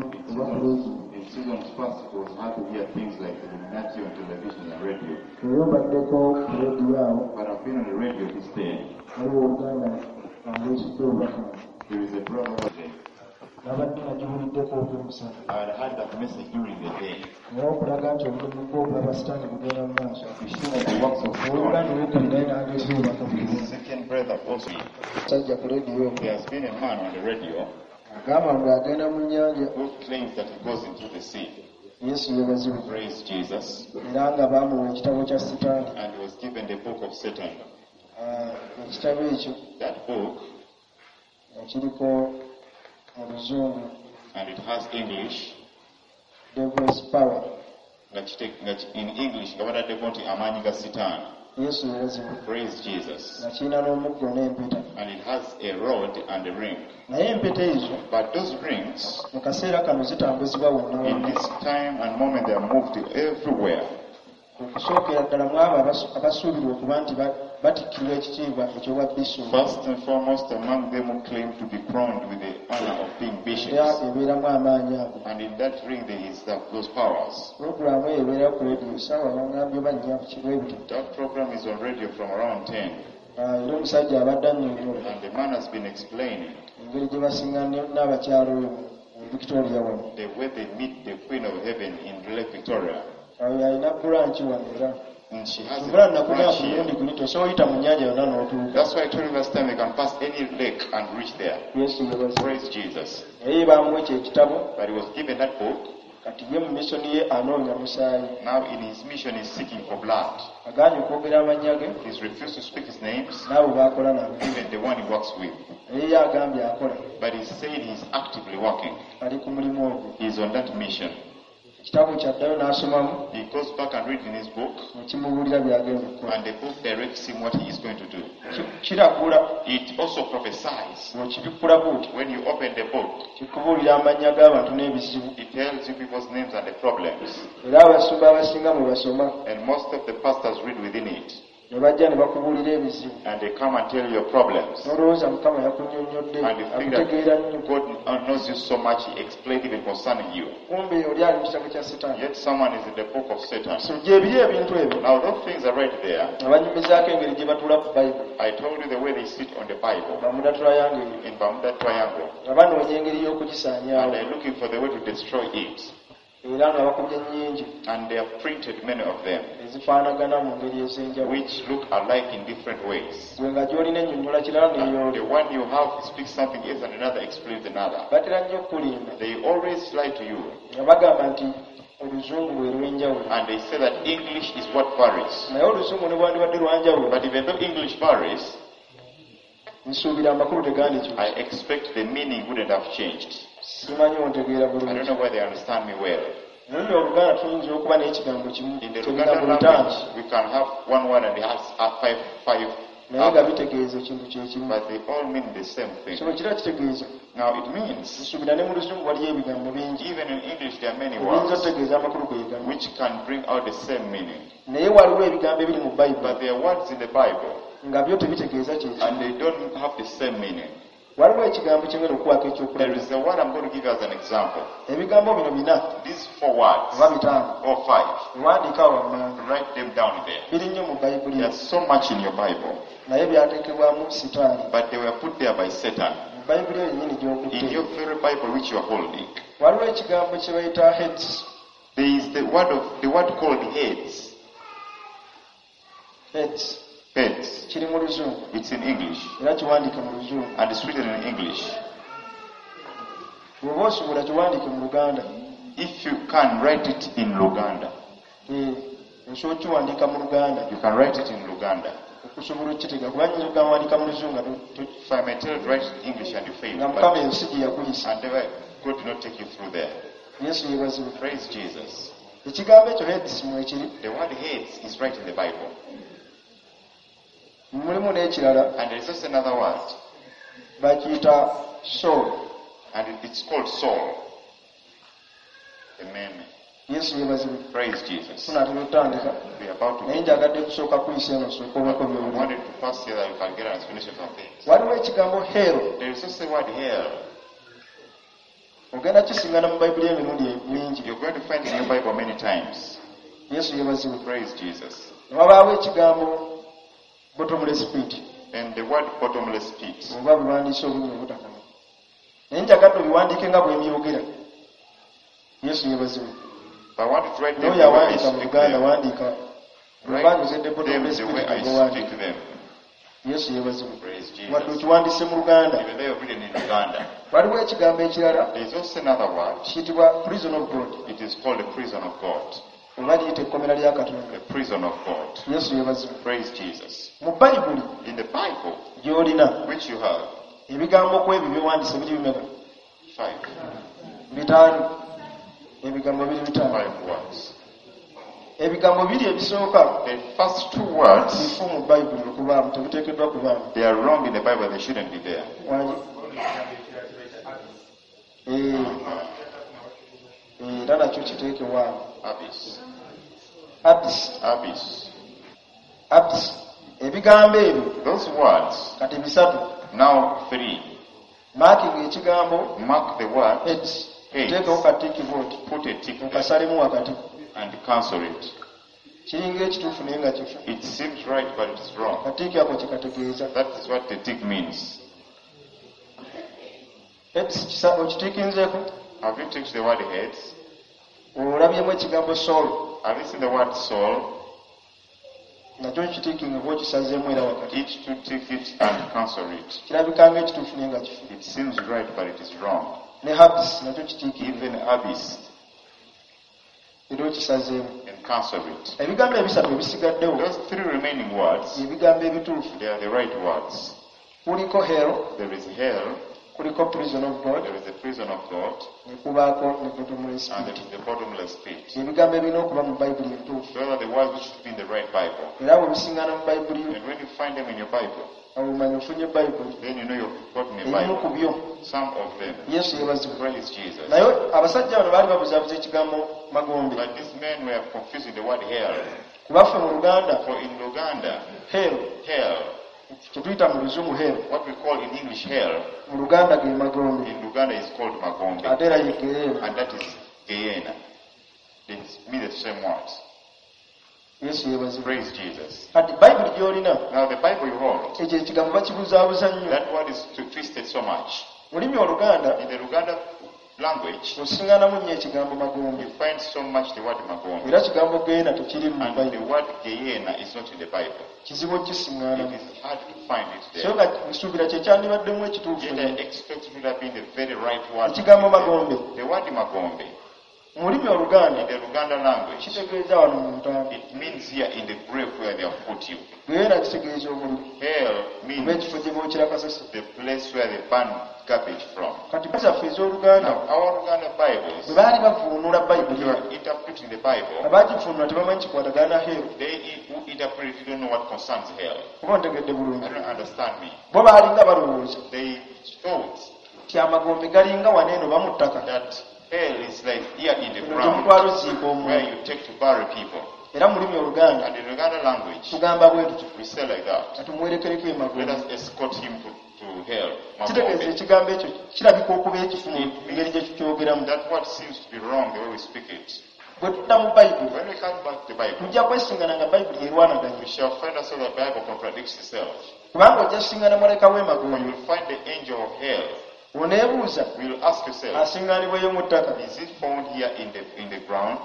oba ku leediyo. In seasons past, it was hard to hear things like Illuminati on television and radio. Era obaddeko ku leediyo awo. But I've been on the radio this day. Waliwo oluganda andeetedde obubaka. There is a brother today. Nabadde nagiwuliddeko ogw'emisana. I had heard that message during the day. Naye okulaga nti omulimu gw'okulaba sitaani gugenda mu maaso. To show that the works of God. Owooluganda owokubiri naye n'andeetera obubaka His bwe. second brother also. Musajja ku leediyo There has been a man on the radio agamba ng'agenda mu nnyanja. who claims that he goes into the sea. Yesu yeebazibwe. Praise Jesus. Era nga baamuwa ekitabo kya sitaani. And he was given the book of Satan. Ah, ekitabo ekyo That book, nga kiriko mu luzungu and it has English, Devil's Power. nga nga in English nga bataddeko nti amaanyi ga Sitaani. Yesu yeebazibwe. Praise Jesus. Nga kirina n'omuggo n'empeta. And it has a rod and a ring. Naye empeta ezo But those rings, mu kaseera kano zitambuzibwa wonna in wonna. this time and moment, they are moved everywhere. Okusookera ddala mu abo abasuubirwa okuba nti batikkirwa ekitiibwa eky'obwa bisopu. First and foremost, among them who claim to be crowned with the honor of being Era bishops. ebeeramu amaanyi ago. And in that ring, there is those powers. Pulogulaamu eyo ebeera ku leediyo ssaawa baŋŋambye oba nnya ku kiro ebyo. That program is on radio from around 10. Ah, era omusajja abadde annyonnyola And the man has been explaining engeri gye basinga n'abakyala oyo mu Victoria wano. the way they meet the Queen of Heaven in Lake Victoria. Oyo alina buranki wano era. And she has a Bula nakugamba branch ku here. mulundi guli tosobola oyita mu nnyanja yonna n'otuuka. That's why I told you last time you can pass any lake and reach there. Yesu yeebazibwe. Praise Jesus. Naye baamuwa ekyo ekitabo But he was given that book. kati ye mu misoni ye anoonya musaayi. Now in his mission he's seeking for blood. Agaanye okwogera amannya ge He's refused to speak his names, n'abo b'akola nabo. even the one he works with. Naye ye agambye akola But he said he's actively working. ali ku mulimu ogwo. He's on that mission. Ekitabo kyaddayo n'asomamu He goes back and reads in his book, ne kimubuulira by'agenda okukola. and the book directs him what he is going to do. Kiragula It also prophesies. bw'okibikkula bw'oti When you open the book, kikubuulira amannya g'abantu n'ebizibu. it tells you people's names and the problems. Era abasumba abasinga mwe basoma And most of the pastors read within it. ne bajja ne bakubuulira ebizibu. And they come and tell you your problems. N'olowooza Mukama yakunnyonnyodde And you think akutegeera nnyo. that God knows you so much, He explained even concerning you. Kumbe oli ali mu kitabo kya Setaani. Yet someone is in the book of Satan. So gye biri ebintu ebyo Now those things are right there. nga banyumizaako engeri gye batuula ku Bayibuli. I told you the way they sit on the Bible Bermuda Triangle eyo. in Bermuda Triangle. Nga banoonya engeri And y'okugisaanyaawo. they're looking for the way to destroy it. Era nga bakubye nnyingi And they have printed many of them, ezifaanagana mu ngeri ez'enjawulo. which look alike in different ways. Gwe nga gy'olina ennyonnyola kirala And n'ey'oli. the one you have speaks something else and another explains another. Batera nnyo okukulimba They always lie to you. nga bagamba nti oluzungu lwe lw'enjawulo. And they say that English is what varies. Naye oluzungu ne bwandibadde lwanjawulo But even though English varies, nsuubira amakulu tegandikyuse. I expect the meaning wouldn't have changed. Simanyi ontegeera I don't bulungi. know whether they understand me well. Mu lulimi Oluganda tuyinza okuba n'ekigambo kimu In the ebigambo Luganda bitaano language, we can have one word and it has five, naye nga bitegeeza ekintu kye kimu. but they all mean the same thing. So kira kitegeeza Now it means, nsuubira ne mu luzungu waliyo ebigambo bingi even in English, there are many ebiyinza words okutegeeza amakulu ge gamu. which can bring out the same meaning. Naye waliwo ebigambo ebiri mu Bayibuli But there are words in the Bible nga byo tebitegeeza kye kimu. and they don't have the same meaning. Waliwo ekigambo kye ngenda okuwaako There ekyokulabira. is a word I'm going to give you as an example. Ebigambo bino bina These four words, oba bitaano or five, biwandiike awo wammanga. write them down there. Biri nnyo mu Bayibuli There's so much in your Bible, naye byateekebwamu Sitaani. but they were put there by Satan. Mu Bayibuli eyo yennyini In gy'okutte. your very Bible which you are holding, Waliwo ekigambo kye bayita heads. there is the word called heads. Heads. Heads. Kiri mu luzungu It's in English era kiwandiike mu luzungu. and it's written in English. Bw'oba osobola kiwandiike mu Luganda. If you can write it in Luganda, Eh, osobola okukiwandiika mu Luganda you can write it in Luganda. okusobola okukitegeera kuba nnyinza okugamba wandiika mu luzungu nga If I may tell you to write it in English and you fail, nga Mukama but, ensi gye yakuyisa. and never, God did not take you through there. Yesu yeebazibwe. Praise Jesus. Ekigambo ekyo heads mwekiri. The word heads is right in the Bible. Mulimu n'ekirala And there is also another word, bakiyita soul. and it's called soul. Amen. Yesu yeebazibwe. Praise Jesus. Tunaatera okutandika We are about to naye njagadde kusooka kuyisa eno osooke obako I by'owulira. wanted to pass here that you can get an explanation of things. Waliwo ekigambo hell There is also a word hell. Ogenda kisingana mu bayibuli emirundi mingi. You're going to find it in your Bible many times. Yesu yeebazibwe. Praise Jesus. Ne wabaawo ekigambo bottomless pit. And the word bottomless pit. Oba buwandiise obunnya obutakoma, naye njagadde obiwandiike nga bwe mbyogera. Yesu yeebazibwe. But I want you to write them N'oyo the way I awandiika mu speak Luganda, them. wandiika Write oba njogedde them bottomless the pit, way I owandiika. speak them. Yesu yeebazibwe. Praise Wadde Jesus. okiwandiise mu Luganda. Even though you've written in Uganda. Waliwo ekigambo ekirala. There is also another word. Kiyitibwa prison of God. It is called the prison of God. Oba liyita ekkomera lya Katonda. The prison of God. Yesu yeebazibwe. Praise Jesus. Mu bayibuli In the Bible, gy'olina, which you have, ebigambo ku ebyo by'owandiise biri bimeka? 5. 5. Ebigambo biri 5. 5 words. Ebigambo biri ebisooka The first 2 words, bifu mu bayibuli okubaamu, tebiteekeddwa kubaamu. they are wrong in the Bible, they shouldn't be there. Wangi? Era nakyo kiteekewaawo. Abyss. Abyss. Abyss. Abyss. Ebigambo ebyo Those words, kati 3. now 3. Marking ekigambo Mark the word Hades. Hades. Teekawo katiiki bw'oti. Put a tick there Okasalemu wakati. and cancel it. Kiringa ekituufu naye nga kifu. It seems right, but it's wrong. Katiiki ako kye kategeeza. That is what the tick means. Hades okitiikinzeeko? Have you ticked the word heads? Olabyemu ekigambo soul? Have you seen the word soul? Nakyo kitiikinga oba okisazeemu era wakati. Each to tick it and cancel it. Kirabika ng'ekituufu naye nga kifu. It seems right, but it is wrong. Ne abyss nakyo kitiikinga. Even abyss Era okisazeemu. and cancel it. Ebigambo 3 ebisigaddewo Those 3 remaining words, ebigambo ebituufu. they are the right words. Kuliko hell, There is hell, kuliko prison of God, there is the prison of God, ne kubaako ne bottomless and pit. there is the bottomless pit. Ebigambo ebirina okuba mu bayibuli entuufu. Those are the words which should be in the right Bible. Era bwe bisiŋŋaana mu bayibuli yo, And when you find them in your Bible, awo omanya ofunye bayibuli. then you know you've gotten a Ebimu ku Bible. byo. Some of them. Yesu yeebazibwe. Praise Jesus. Naye abasajja bano baali babuzaabuza ekigambo magombe. But these men were confusing the word hell. Kubaffe mu Luganda, For in Luganda, hell, hell, kye tuyita mu Luzungu hell, what we call in English hell, mu Luganda ge magombe. in Luganda is called Magombe. Ate era ye Geyeena. And that is Gehenna. They mean the same words. Yesu yeebazibwe. Praise Jesus. Kati bayibuli gy'olina, Now the Bible you hold, ekyo ekigambo bakibuzaabuza nnyo. that word is twisted so much. Mu lulimi Oluganda, In the Luganda language, osiŋŋaanamu nnyo ekigambo magombe. you find so much the word Magombe. Era kigambo Geyeena tekiri mu And the Bayibuli. word Gehenna is not in the Bible. Kizibu It okukisiŋŋaanamu. is hard to find it So there. nga nsuubira kye kyandibaddemu ekituufu. Yet I expect it would have been the very right word. Ekigambo magombe. The word Magombe, Mu lulimi Oluganda, in the Luganda language, kitegeeza wano mu ntaana. it means here in the grave where they have put you. Geyeena kitegeeza omuliro. Hell Oba means ekifo gye bookera kasasiro. the place where they burn garbage from. Kati zaffe ez'Oluganda, Now, our Luganda Bibles, bwe baali bavuunula bayibuli, you are interpreting the Bible, abaagivuunula tebamanyi kikwatagana hell. they who interpret it don't know what concerns hell. Oba ntegedde bulungi? I don't understand me. Bo baalinga balowooza They thought nti amagombe galinga wano eno ba mu ttaka. that hell is like here in the Eno gye ground mutwala oziika where omuntu. you take to bury people. Era mu lulimi Oluganda And in Luganda language, tugamba bwe tutyo, we say like that. katumuwerekereko Let emagombe. us escort him to hell. Kitegeeza Magombe. ekigambo ekyo kirabika okuba ekifu mu ngeri gye tukyogeramu. That word seems to be wrong the way we speak it. Bwe tudda mu bayibuli, When we come back to the Bible, tujja kwesingana nga bayibuli erwanaganye. we shall find ourselves that the Bible contradicts itself. Kubanga ojja singana malayika For w'emagombe. you will find the angel of hell. Oneebuuza You will ask yourself, asingaanibweyo mu ttaka. is it found here in the ground?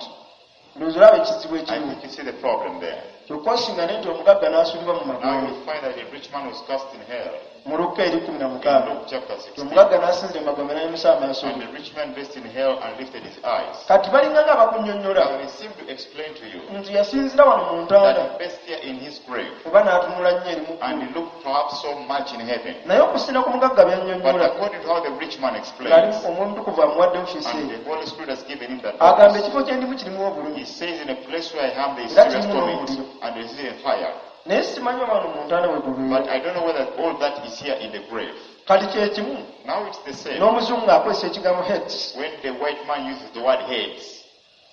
Ndowooza olaba ekizibu I ekiriwo. think you see the problem there. Kyokka osingane nti omugagga n'asuulibwa mu Now magombe. you find that a rich man was cast in hell. Mu Lukka eri kumi na In mukaaga. Luke chapter 16. Omugagga n'asinzira emagombe n'ayimusa amaaso And ge. the rich man rest in hell and lifted his eyes. Kati balinga nga abakunnyonnyola Now he seemed to explain to you nti yasinzira wano mu ntaana that he based here in his grave oba n'atunula nnyo eri mu and ggulu. he looked perhaps so much in heaven. Naye okusinza ku mugagga But byannyonnyola according to how the rich man ng'ali explains, Omwoyo Omutukuvu amuwadde ofiisi and eyo, the Holy Spirit has given him that agamba office, ekifo kye ndimu kirimu obulumi he says in a place where I am there is Era serious kirimu torment n'omuliro. and there is even fire. Naye simanyi oba wano mu ntaana we gubeera. But I don't know whether all that is here in the grave. Kati kye kimu Now it's the same n'omuzungu akozesa ekigambo heads when the white man uses the word heads.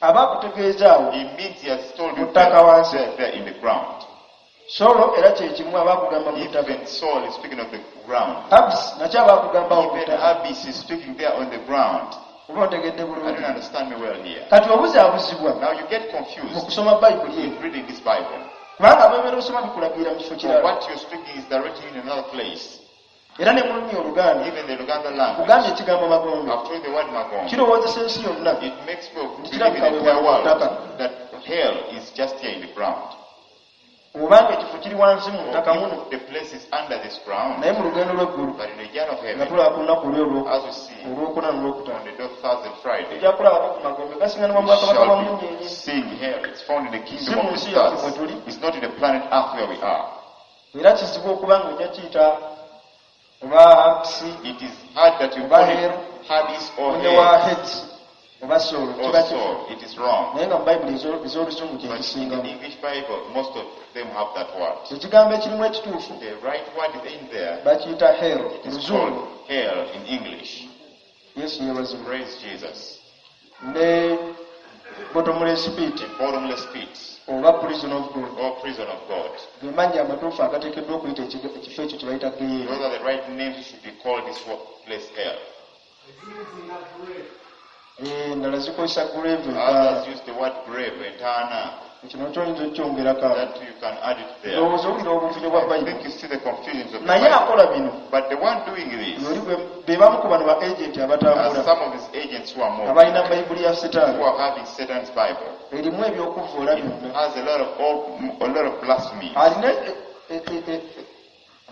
aba akutegeeza awo He means he has told you Mu ttaka wansi. there in the ground. Solo era kye kimu aba akugamba mu ttaka. Even Saul is speaking of the ground. Abs nakyo aba akugamba awo mu Even ttaka. Abyss is speaking there on the ground. Oba ontegedde I bulungi? don't understand me well here. Kati obuzaabuzibwa Now you get mu confused kusoma Bayibuli in eyo, reading this Bible. kubanga bwebeera osoma bikulagirira mu kifo For kirala. what you're speaking is directing you in another place. Era ne mu lulimi Oluganda, Even the Luganda language. kugambye ekigambo magombe I've told you the word Magombe. kirowoozesa ensi yonna It makes people nti believe in kirabika the bwe entire world ttaka that hell is just here in the ground. obanga ekifo kiri wansi mu Or ttaka muno, if the place is under this ground, naye mu lugendo lw'eggulu but in the journey of nga heaven, tulaba ku lunaku luli as we see olwokuna n'olwokutaano, on the day of Thursday and Friday, tujja kulabako ku magombe gasiŋŋanibwa mu we bwakabaka bwa shall be munyenye. seeing hell. It's found in the Si kingdom mu of the nsi yaffe mwe stars. tuli. It's not in the planet Earth where we are. Era kizibu okuba nga ojja kiyita oba Hades, It is hard that you oba call it hell, Hades or ne wa hell Hades oba soul, or kiba kifo, soul. It is wrong. naye nga mu Bayibuli ez'Oluzungu kye But in the kisingamu. English Bible, most of them have that word. Ekigambo ekirimu ekituufu The right word is in there. bakiyita hell It is Luzungu. called hell in English. Yesu yeebazibwe. Praise Jesus. Ne bottomless pit The bottomless pit oba prison of God, or prison of God. ge mannya amatuufu agateekeddwa okuyita ekifo ekyo kye bayita Geyeena. Those are the right names should be called this place hell. Endala zikozesa grave, entaana. Others use the word grave, entaana. Ekyo nakyo oyinza okukyongerako awo. That you can add it there. Ndowooza owulira obuvuyo bwa I Bayibuli. think you see the confusions of the Naye Bible. akola bino But the one doing this yoli be bamu ku bano ba agenti are abatambula some of his agents who are moving, abalina Bayibuli ya Sitaani who are having Satan's Bible. erimu ebyokuvvoola It byonna. has a lot of blasphemy. Alina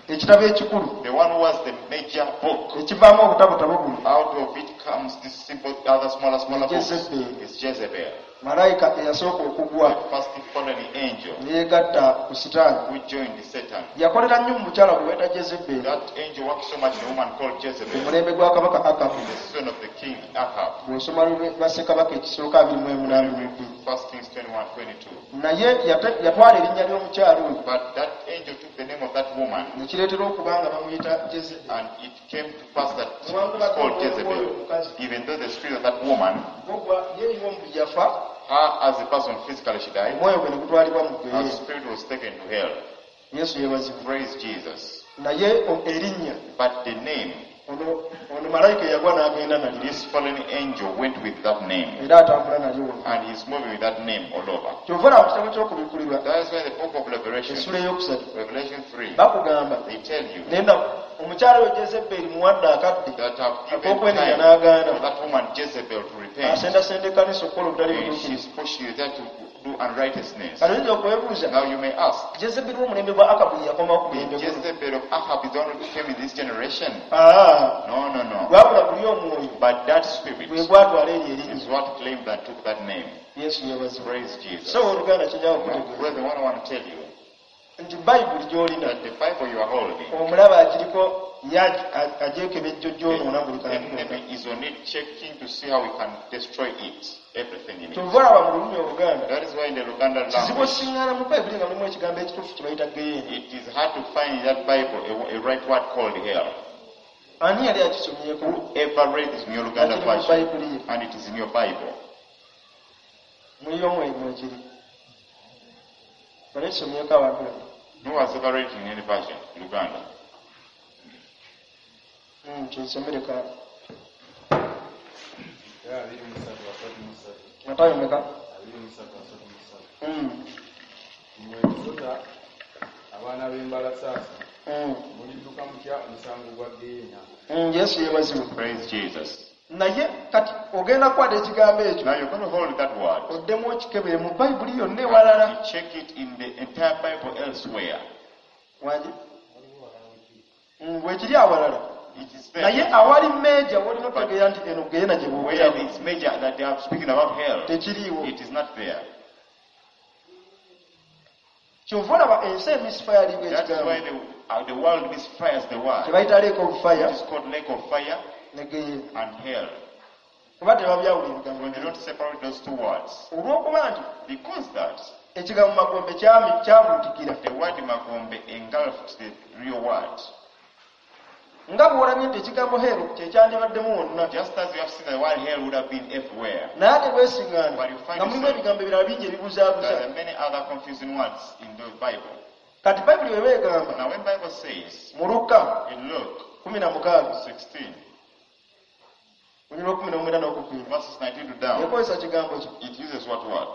ekitabo ekikulu The one who has the major book, ekivaamu obutabotabo buno, out of it comes this simple, other smaller books. Jezebel. It's Jezebel, Malayika eyasooka okugwa the first fallen angel neyegatta ku Sitaani, who joined Satan. yakolera nnyo mu mukyala gwe bayita Jezeberi That angel worked so much in a woman called Jezebel, omulembe gwa kabaka Akabu. the son of the king Ahab. Bw'osoma lwa Ssekabaka ekisooka 28:22. 1 Kings 21:22. Naye yatwala erinnya ly'omukyala oyo, But that angel took the name of that woman, ne kireetera okuba nga bamuyita Jezeberi, and it came to pass that she was newankubadde called omwoyo gw'oyo Jezebel. omukazi Even though the spirit of that woman, gwo yeeyiwa omubiri yafa, her as a person physically she died, omwoyo gwe ne gutwalibwa mu her geyeena. spirit was taken to hell. Yesu yeebazibwe. Praise Jesus. Naye erinnya, But the name, ono malayika eyagwa n'agenda nalyo, this fallen angel went with that name, era atambula nalyo wonna. and he's moving with that name all over. Kyova olaba mu kitabo ky'Okubikkulirwa That is why the book of Revelation, essula 3, Revelation 3, bakugamba they tell you naye nga omukyala oyo Jezeberi muwadde akadde that have given ak'okwenenya time n'agaana, for that woman Jezebel to repent. asendasenda ekkanisa okukola obutali And butuukirivu. she's pushing you there to do unrighteousness. Kati oyinza okwebuuza, Now you may ask, Jezeberi w'omulembe gwa Akabu ye yakomawo ku the mulembe guno? Jezebel of Ahab is the one who came in this generation? Aa, No. gwabula guli omwoyo But that spirit gwe gwatwala eryo erinnya. is what claimed and took that name. Yesu yeebazibwe. Praise Jesus. So oluganda kyenjawo Now, okutegeeza brethren, what I want to tell you, nti Bayibuli gy'olina that the Bible you are holding, omulaba agiriko ye agyekebejjo gyonoona buli the kantu konna. enemy is on it checking to see how we can destroy it, everything in it. Kyova olaba mu lulimi Oluganda That is why in the Luganda kizibu language, osiŋŋaana mu Bayibuli nga mulimu ekigambo ekituufu kye bayita geyeena. it is hard to find in that Bible a right word called hell. Ani yali akisomyeko Whoever read this in your nga Luganda kiri mu version, Bayibuli ye? and it is in your Bible. Muliyo mwekiri bali ekisomyeko abantu bano? Who has ever read it in any version? Luganda. Kinsomereka. 23:33. Matayo meka? 23:33. Mmwe ensota, abaana b'embalasaasa, mulidduka mutya omusango gwa Geyeena? Yesu yeebazibwe. Praise Jesus. Naye kati ogenda kukwata ekigambo ekyo, Now you're going to hold that word. oddemu okikebere mu Bayibuli yonna ewalala. You check it in the entire Bible elsewhere. Wangi bwekiri awalala, It is there. naye awali meeja wolina otegeera nti eno geyeena gye Where boogerako it's major that they are speaking about hell, tekiriiwo. it is not there. Kyova olaba ensi emisfiringa That is why ekigambo the world misfires the word. kye bayita lake of fire It is called lake of fire ne geyeena, and hell. kuba tebabyawula ebigambo. When they don't separate those two words, Olw'okuba nti because that ekigambo magombe kyabuutikira, the word magombe engulfed the real word. nga bw'olabye nti ekigambo hero kyekyandibaddemu wonna, Just as you have seen the word hell would have been everywhere. naye ate weesiŋŋaana But you find nga mulimu yourself ebigambo ebirala bingi ebibuzaabuza. there are many other confusing words in the Bible. Kati Bayibuli bweba egamba Now when Bible says mu Lukka in Luke 16 16, Olunyiriri lw'okkumi n'omwenda n'okukwira. Verses 19 to down. Ekozesa kigambo ki? It uses what word?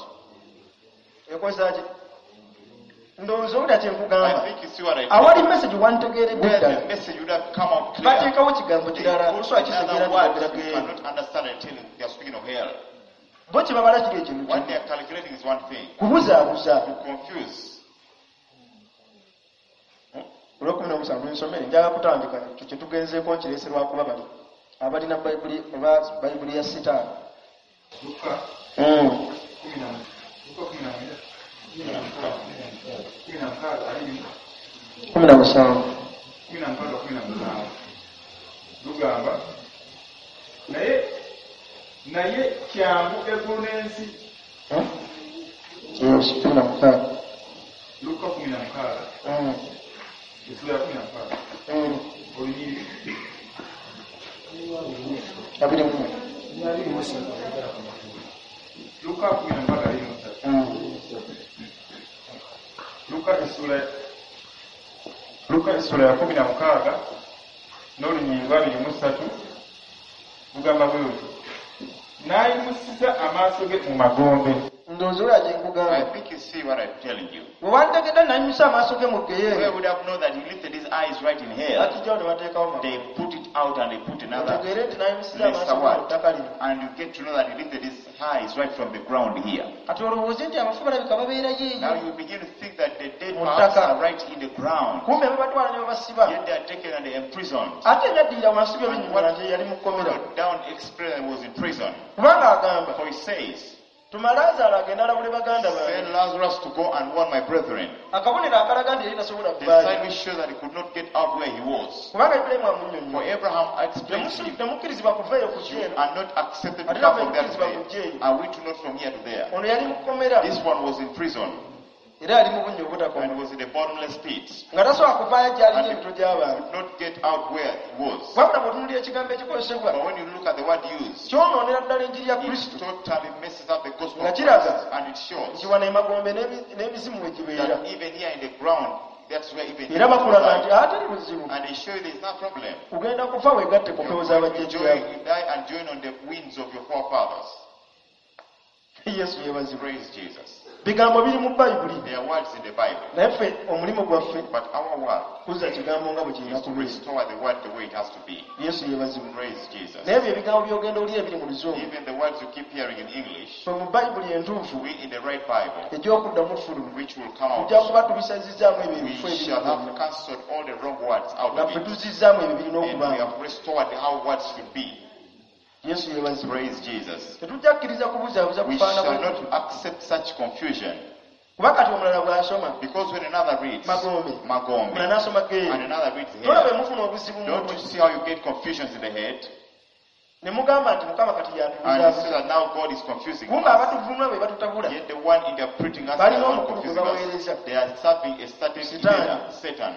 Ekozesa ki? Ndowooza owulira kye I nkugamba. think you see what I Awali mean. message wantegeeredde Where ddala. the message would have come out clear. Bateekawo kigambo They kirala put tosobola kitegeera another nti word boogera you geyeena. cannot understand until they are speaking of hell. Bo kye babala kiri ekintu What kimu. they are calculating is one thing. Kubuzaabuza. To confuse. Olw'okkumi n'omusanvu nsomere, njagala kutandika ekyo kye tugenzeeko nkireese lwakuba bali abalina Bayibuli oba Bayibuli ya Sitaani. Luka kumi na Luka 19, 16 20 17. 16 17 lugamba, naye kyangu eggulu n'ensi. Yes, 16. Luka 16, essula ya 16, olunyiriri 24. Luka 16 23. Luka essula ya 16 n'olunyiriri lwa 23 lugamba bwe luti, n'ayimusiza amaaso ge mu magombe. Ndowooza olaba kye nkugamba. I think you see what I'm telling you. Bwe wantegedde n'ayimusa amaaso ge mu Where geyeena, would have known that he lifted his eyes right in hell? Bakijjawo ne bateekawo magombe. They put it out and they put another Otegeere nti n'ayimusiza amaaso lesser ge mu word. ttaka lino. And you get to know that he lifted his eyes right from the ground here. Kati olowooze nti abafu balabika babeerayo Now eyo you begin to think that the dead mu parts ttaka. are right in the ground. Kumbe babatwala ne babasiba. Yet they are taken and they are imprisoned. Ate ebyaddirira wansi byo And binyumira what nti yali mu kkomera. followed down explained was in prison. Kubanga agamba, For he says, tuma Laazaalo agende alabule baganda bange. send Lazarus to go and warn my brethren. Akabonero akalaga nti yali tasobola The kuvaayo. sign which shows that he could not get out where he was. Kubanga Ibulayimu For amunnyonnyola. Abraham explained to him, Temukkirizibwa kuva eyo kujja you eno. are not accepted to Ate come naffe from there to tukkirizibwa kujja there. eyo. Are we to not from here to there? Ono yali mu kkomera. This one was in prison Era yali mu bunnya obutakoma. and was in a bottomless pit. Nga tasobola kuvaayo gy'alina And emitwe gy'abantu. could not get out where he was. Wabula bw'otunuulira ekigambo ekikozesebwa, But when you look at the word used, kyonoonera ddala enjiri ya it Kristo. totally messes up the gospel Nga of kiraga Christ, and it shows nti wano emagombe n'emizimu we gibeera. that even here in the ground, that's where even Era demons bakulaga nti reside. atali buzibu. And they show you there's no problem. Ogenda kufa weegatte ku mpewo You're going to z'abajjajjaabo. join, you die and join on the winds of your forefathers. Yesu yeebazibwe. Praise Jesus. Bigambo biri mu Bayibuli. There are words in the Bible. Naye ffe omulimu gwaffe But our work kuzza kigambo nga bwe kirina is to kubeera. restore the word the way it has to be. Yesu yeebazibwe. Praise Jesus. Naye ebyo ebigambo by'ogenda olya ebiri mu Luzungu, Even the words you keep hearing in English, ffe mu Bayibuli entuufu we in the right Bible, egy'okuddamu fuluma, which will come out, tujja kuba tubisazizzaamu ebyo ebifo we ebiri shall have byonna. cancelled all the wrong words out Nga of ffe it. tuzizzaamu ebyo birina And we okubaamu. have restored how words should be. Yesu yeebazibwe. Praise Jesus. Tetujja kukkiriza kubuzaabuza We kufaanana shall bwe not kutyo. accept such confusion. Kuba kati omulala bw'asoma Because when another reads Magombe, Magombe, omulala n'asoma and Geeri, another reads tolaba hell, emufuna obuzibu mu don't mutwe you see how you get confusions in the head? ne mugamba nti Mukama kati And you yatubuzaabuza. see that now God is confusing Kumbe us. abatuvunula be batutabula. Yet the one interpreting us Balina is the one omukulu gwe confusing us. baweereza. They are serving a certain Sitaani. leader, Satan.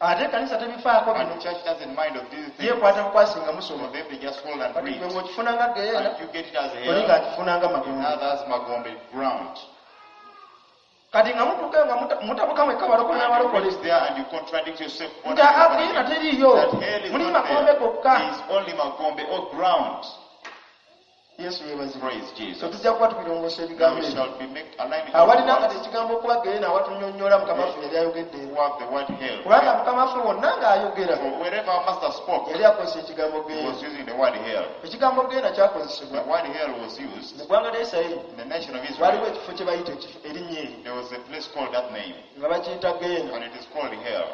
Ate ekkanisa tebifaako And bino. the church doesn't mind of these things. Yeekwata bukwasi nga musoma. For them, they just hold and Kati read. gwe ng'okifuna nga Geyeena, And you get it as oli hell, ng'akifuna nga in Magombe. others, Magombe ground. Kati nga mutuuka nga mutabuka mwekka balokole And you n'abalokole. reach there and you contradict yourself. One Nti and over Geyeena again. teriiyo. That hell is Muli not Magombe there. gokka. There is only Magombe or ground. Yesu yeebazibwe. Praise So Jesus. tujja kuba tubirongoosa Now ebigambo we ebyo. shall be made aligning all the Awalina kati words ekigambo okuba Geyeena awatunnyonnyola Mukama waffe yali ayogedde. who have the word hell. Kubanga Mukama waffe wonna ng'ayogera For wherever our master spoke, yali akozesa ekigambo he Geyeena. was using the word hell. Ekigambo Geyeena The kyakozesebwa word hell was used mu ggwanga lya Isirayiri. in the nation of Waliwo Israel. ekifo kye bayita ekifo erinnya eryo There was a place called that name, nga bakiyita Geyeena. and it is called hell.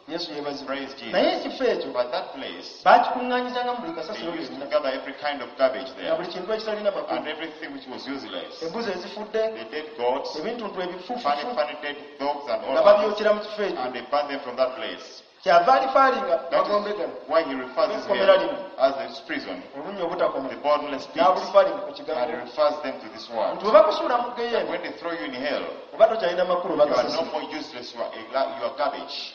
Yesu yeebazibwe. Praise Jesus. Naye ekifo ekyo But that place, baakikuŋŋaanyizanga mu buli they kasasiro used to lyonna gather every kind of garbage nga there, buli kintu ekitalina makulu. and everything which was useless. Embuzi ezifudde, The dead goats, ebintuntu funny, ebifuufufu funny dead dogs, and all nga others, babyokera mu kifo ekyo. and they burned them from that place. Kyava alifaalinga That magombe is gano why he refers this Ekkomera hell lino. as a prison, olunnya obutakoma the bottomless pit, n'abulifaalinga ku and he kigambo refers them to this word. nti bwe bakusuula mu That Geyeena when they throw you in hell, oba tokyalina makulu you are no bakasasiro. more useless, you are garbage.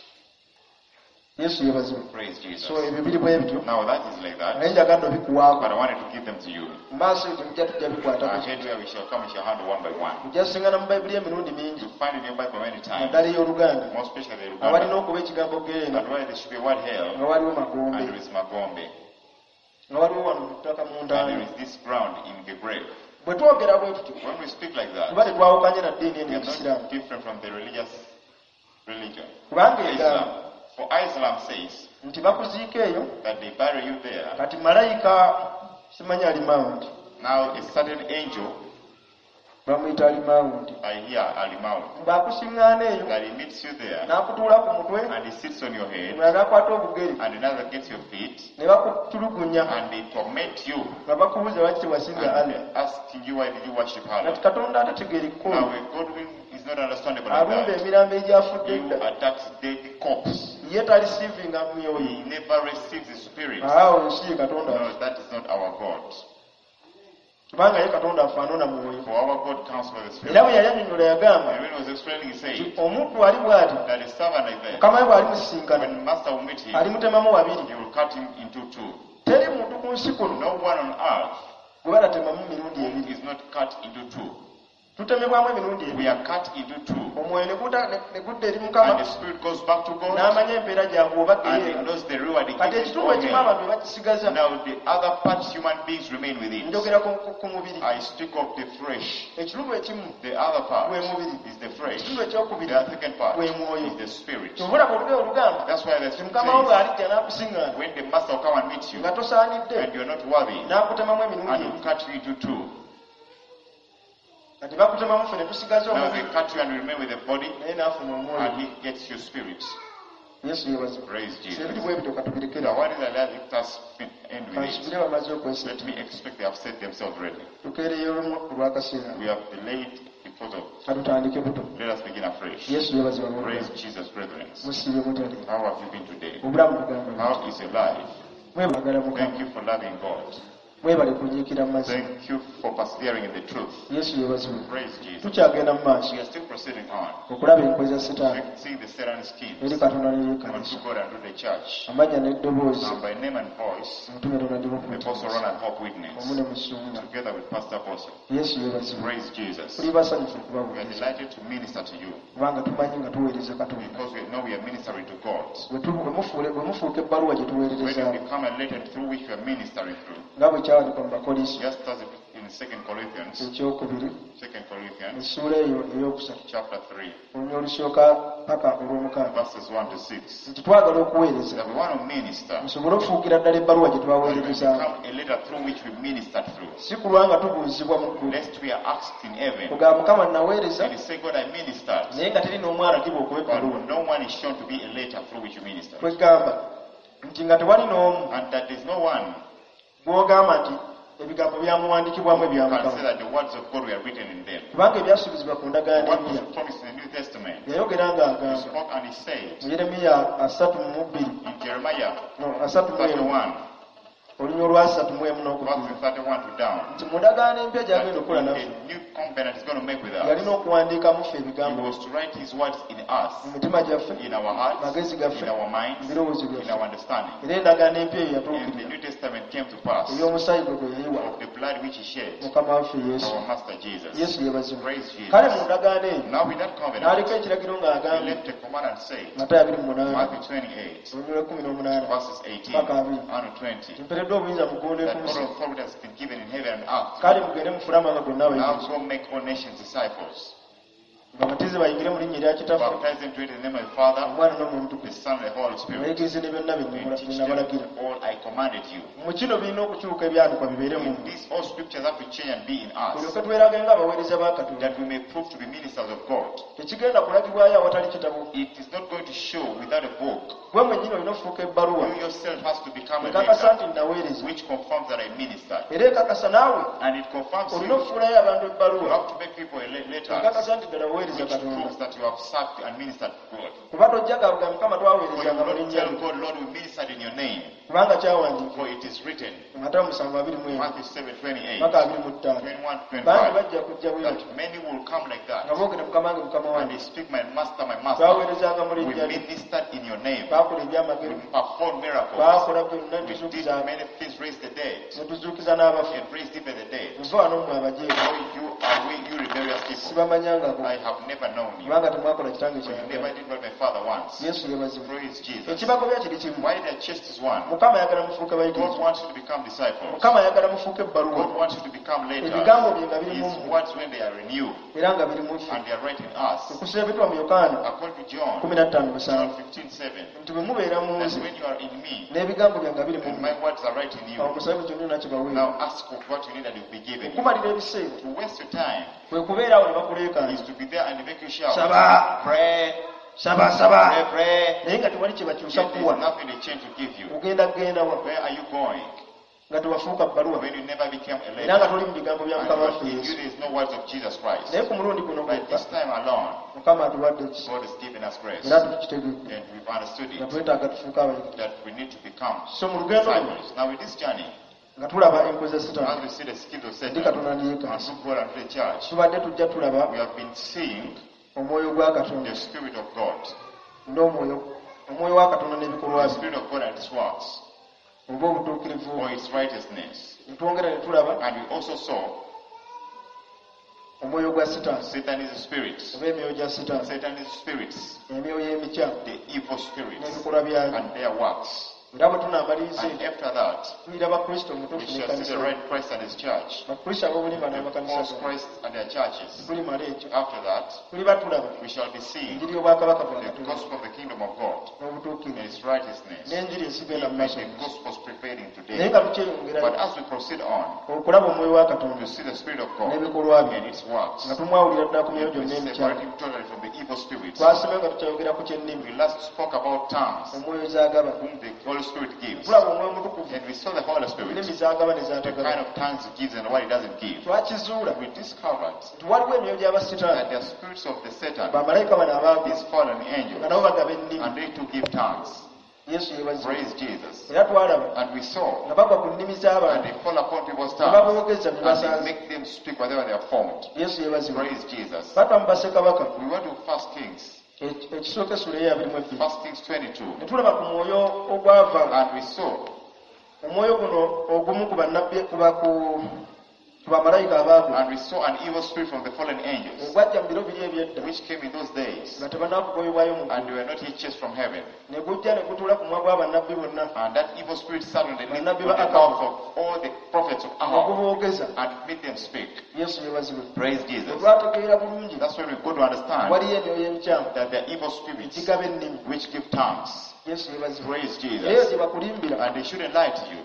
Yesu yeebazibwe. Praise Jesus. So ebyo biri bwe bityo Now that is like that, naye njagadde obikuwaako. but I wanted to give them to you. Mu maaso eyo temujja tujja bikwatako. Ahead where we shall come, we shall handle one by one. Ojja kusingana mu Bayibuli emirundi mingi You find in your Bible many times, naddala ey'Oluganda more especially the awalina Uganda, okuba ekigambo Geyeena and where there should be word hell, nga waliwo and Magombe. there is Magombe. Nga waliwo wano mu ttaka mu And there ntaana. is this ground in the grave. Bwe twogera bwe tutyo, When we speak like that, tuba tetwawukanye na ddiini eno we are ey'ekisiraamu, not different from the religious religion. Kubanga egamba Islam. For Islam says nti bakuziika eyo. That they bury you there. Kati malayika simanyi alimawundi. Now a certain angel, Bamuyita alimawundi, I hear Alimau, ng'akusiŋŋaana eyo, that he meets you there n'akutuula ku mutwe, and he sits on your head omulala n'akwata obugere, and another gets your feet ne bakutulugunya, and they torment you nga bakubuuza lwaki tewasinza and Allah. they're asking you why did you worship Kati Allah. Katonda atategeera Now ekkono a God is not understandable like alumba that. emirambo egyafudde He edda, attacks dead corpse. Ye talisiivinga myoyo. He never receives the spirit. Awo ensi ye Katonda, No, that is not our God. Kubanga ye Katonda afaanana mwoyo. For our God comes by the Spirit. Era bwe yali annyonnyola yagamba And when he was explaining, he nti said omuntu ali bw'ati, that a servant like that, mukama we bw'alimusisinkana, when the master will meet him, alimutemamu wabiri. He will cut him into two. Teri muntu ku nsi kuno No one on earth gwe batatemamu mirundi who ebiri. is not cut into two. Tutemebwamu emirundi We ebiri. are cut into two. Omwoyo ne guta- ne- ne gudda eri And Mukama the spirit goes back to God n'amanya empeera gyagwe oba and he geyeera. knows the reward he Kati gives ekitundu to ekimu him. abantu bakisigaza. Now the other part, human beings remain with it. Njogera ku- ku- ku mubiri. I speak of the flesh. Ekitundu ekimu The other part gwe mubiri. Is the flesh. Ekitundu ekyokubiri The second part gwe mwoyo. Is the spirit. Kyova olugero olugamba That's why the nti scripture mukama wo says, bw'alijja n'akusiŋŋaana when the master will come and meet you nga tosaanidde, and you're not worthy, n'akutemamu emirundi and will ebiri. Cut you into two. Kati bakutemamu ffe ne tusigaza Now they omubiri, cut you and you remain with the body, naye n'afuna omwoyo. And he gets your spirit. Yesu yeebazibwe. Praise Jesus. Ebiri bwe bityo katubirekere. Now what is that? Let us end with it. Kansubire bamaze okweseka. Let me expect they have set themselves ready. Tukeereyo olumu olw'akaseera. We have delayed because of. Katutandike buto. Let us begin afresh. Yesu yeebazibwe. Praise Jesus, brethren. Musiibye mutale? How have you been today? Obulamu bugamba. How is your life? Mwebagala Mukama. Thank you for loving God. Mwebale kunyiikira mu mazima. Thank you for persevering in the truth. Yesu yeebazibwe. Praise Jesus. Tukyagenda mu maaso We are still proceeding on. okulaba enkwe za Sitaani See the Satan schemes eri Katonda unto n'eryekanisa. God and to the church. Amannya n'eddoboozi, And by name and voice, omutume Ronald the Apostle Ronald Hope Witness, omu ne musumba. Together with Pastor Apostle. Yesu yeebazibwe. Praise Jesus. Tuli basanyufu We are okubaweereza, delighted to minister to you kubanga tumanyi nga tuweereza Katonda. Because we know we are ministering to God. Bwe tu- bwe mufuule- bwe mufuuka ebbaluwa gye When tuweererezaamu, you become a letter through which we are ministering through, nga bwe kyawandiikwa mu Bakolinso just as in 2 Corinthians, ekyokubiri, 2 Corinthians essuula eyo eyokusatu, chapter 3, olunya olusooka paka olw'omukaaga, verses 1 to 6, nti twagala okuweereza that we want to minister, musobole okufuukira ddala ebbaluwa gye that we twaweererezaamu, become a letter through which we ministered through, si kulwa nga tubuuzibwa mu ggulu, lest we are asked in heaven. ogamba Mukama naweereza, And you say, God, I ministered. Naye nga teri n'omu alagibwa okuba ebbaluwa. But no one is shown to be a letter through which you ministered. Kwegamba nti nga tewali n'omu And that there's no one gw'ogamba nti ebigambo byamuwandiikibwamu ebya who can say Mukama, that the words of God were written in them. Kubanga ebyasuubizibwa ku ndagaano What empya, was promised in the New Testament, yayogera he ng'agamba spoke and he said mu Yeremiya 32, in Jeremiah no, 31, 31, olunya olwasatu mu emu n'okubiri, verses 31 to down, nti mu ndagaano empya that gy'agenda okukola naffe, a new covenant is going to make with us. Yalina okuwandiikamu ffe He ebigambo was to write his words in us, mu mitima gyaffe, in our hearts, magezi gaffe, in our minds, mu birowoozo in byaffe. our understanding. Era endagaano empya eyo And the yatuukirira New Testament came to pass ey'omusaayi gwe gwe yayiwa of the blood which he shed, Mukama waffe Yesu. our Master Jesus. Yesu yeebazibwe. Praise Jesus. Kale mu ndagaano eyo Now with that covenant, n'aleka ekiragiro he ng'agamba left a command and said, Matayo 28, Matthew 28, olunya lw'e18 verses 18 paka 20, and 20, mpereddwa obuyinza mu ggulu ne that ku nsi. all authority has been given in heaven and earth. Kale mugende mufune amawanga gonna Now abayigirizwa, go make all nations disciples. Babatize bayingire mu linnya erya Kitaffe, Baptize them to it in the name of the Father, Omwana n'Omwoyo the Omutukuvu, Son, and the Holy Spirit. bayigirize ne byonna bye And teach bye them nabalagira. all I commanded you. Mu kino birina okukyuka ebyandikwa bibeere mu In mmwe, this, all scriptures have to change and be in us, tulyoke twerage ng'abaweereza ba Katonda. That we may prove to be ministers of God. Tekigenda kulagibwayo awatali kitabo. It is not going to show without a book. Gwe mwennyini olina okufuuka ebbaluwa You yourself has to become a ekakasa letter nti naweereza, which confirms that I ministered. era ekakasa naawe And it confirms olina you. okufuulayo abantu You ebbaluwa have to make people a letter ekakasa nti ddala waweereza which Katonda, proves that you have served and ministered to God. Kuba tojja gabuga Mukama For you twaweerezanga mu will not linnya tell lyo, God, Lord, we ministered in your name. Kubanga kyawandiikibwa For it is written, Matayo 7:21 Matthew 7, 28, paka 25, 21, bangi 25, bajja kujja bwe batyo that many will come like nga that. boogera Mukama wange, Mukama And wange, they speak, my master, my master. twaweerezanga mu We linnya lyo, ministered in your name. baakola We ebyamagero, performed miracles. baakola byonna, We did tuzuukiza many things, raised the dead, ne tuzuukiza n'abafu. And raised even the dead. Muve wano mmwe abajeemu. Oh, you are we, you rebellious people, Sibamanyangako, I have never known you. kubanga temwakola kitange For you never kyayagala. did what my father wants. Yesu yeebazibwe. Praise Jesus. Ekibagobya kiri kimu. Why their chest is one? Mukama ayagala mufuuke God bayigirizwa. wants you to become disciples. Mukama ayagala mufuuke ebbaluwa, God wants you to become letters. ebigambo bye nga biri mu His mmwe words when they are in you era nga biri mu ffe. and they are right in us. Okuseebetwa mu Yokaana According to John 15:7 15:7, nti bwe mubeera mu that nze when you are in me n'ebigambo byange nga biri mu and mmwe, my words are right in awo you, musabe buli kyonna kibaweebwa. now ask of what you need and it will be given you. Okumalira ebiseera To waste your time kwe kubeera awo ne bakuleekaana, is to be there and make you shout. saba, Pray, saba, saba, pray, pray. naye nga tewali kye bakyusa Yet kuwa. there's nothing they change to give you. Ogenda kugenda wa Where are you going nga tewafuuka bbaluwa when you never became a era nga leader? toli mu bigambo bya And Mukama waffe in you Yesu. there is no words of Jesus Christ. Naye ku mulundi guno But gwokka this time alone, Mukama atuwadde ekisa God has given us grace. era tukitegedde And we've understood nga it twetaaga tufuuke abayigirizwa. that we need to become So mu lugendo luno disciples. Now, with this journey, nga tulaba enkwe za Sitaani as we see the skills of ndi Satan Katonda and neyekansa, through God and the church, tubadde tujja tulaba we have been seeing omwoyo gwa Katonda the Spirit of God, n'omwoyo omwoyo wa Katonda n'ebikolwa the bye Spirit of God and its works, oba obutuukirivu or its righteousness. ne twongera ne tulaba And we also saw omwoyo gwa Sitaani Satan is a spirit, oba emyoyo gya Sitaani, Satan is spirits, emyoyo emikyamu the evil spirits, n'ebikolwa byayo. and their works. Era bwe tunaamaliriza And ekyo after that, tuliraba Kristo we omutuufu shall see n'ekkanisa the ye. right Christ and his church, Bakristo ab'obulimba the n'amakanisa false gaabwe. Christ and their churches. Tulimala ekyo After that, tuliba tulaba we shall be seeing enjiri y'obwakabaka bwa the Katonda gospel of the kingdom of God and n'obutuukirivu its righteousness, n'enjiri esigenda mu even maaso. the gospel's prevailing Naye today. nga tukyeyongerayo But as we proceed on, okulaba omwoyo wa Katonda to see the Spirit of God n'ebikolwa bye and its works, nga tumwawulira ddala ku myoyo and we gyonna emikyamu. separate him totally from the evil spirits. Twasomye nga tukyayogera ku ky'ennimi We last spoke about tongues, omwoyo z'agaba. whom the Holy Spirit gives. Tulaba omwoyo omutukuvu And we saw the Holy Spirit, ennimi z'agaba ne the z'atagaba. kind of tongues he gives and what he doesn't give. Twakizuula We discovered nti waliwo emyoyo gy'abasitaani, that the spirits of the Satan, bamalayika bano abaagwa these fallen nga angels, nabo bagaba ennimi. and they too give tongues. Yesu yeebazibwe. Praise Jesus. Era twalaba And we saw nga bagwa ku nnimi and z'abantu they fall upon people's ne tongues baboogeza bye and they basanze. make them speak whatever they are formed. Yesu yeebazibwe. Praise Jesus. Batwa mu bassekabaka We went to First Kings, ekisooka essula ey'abiri mu ebbiri First Kings 22, ne tulaba ku mwoyo ogwava and we saw omwoyo guno ogumu ku bannabbi ku ba- ku ku bamalayika abaagwa and we saw an evil spirit from the fallen angels, ogwajja mu biro biri eby'edda which came in those days, nga tebannakugobebwayo mu and ggulu they were not yet chased from heaven. ne gujja ne gutuula ku mwa gw'abannabbi bonna And that evil spirit sat on the lips, on Bannabbi the ba Akabu. mouth of all the prophets of ne Ahab guboogeza. and made them speak. Yesu yeebazibwe. Praise Bwe Jesus. twategeera bulungi That's when we go to understand waliyo emyoyo emikyamu that there are evil spirits egigaba ennimi. which give tongues. Yesu yeebazibwe. Praise Eyo Jesus. gye bakulimbira And they shouldn't lie to you.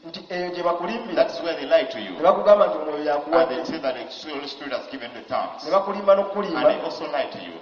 nti eyo gye bakulimbira That's where they lie to you. ne bakugamba nti omwoyo And yakuwadde they say that the Holy Spirit has given the tongues. ne bakulimba And n'okukulimba they also lie to you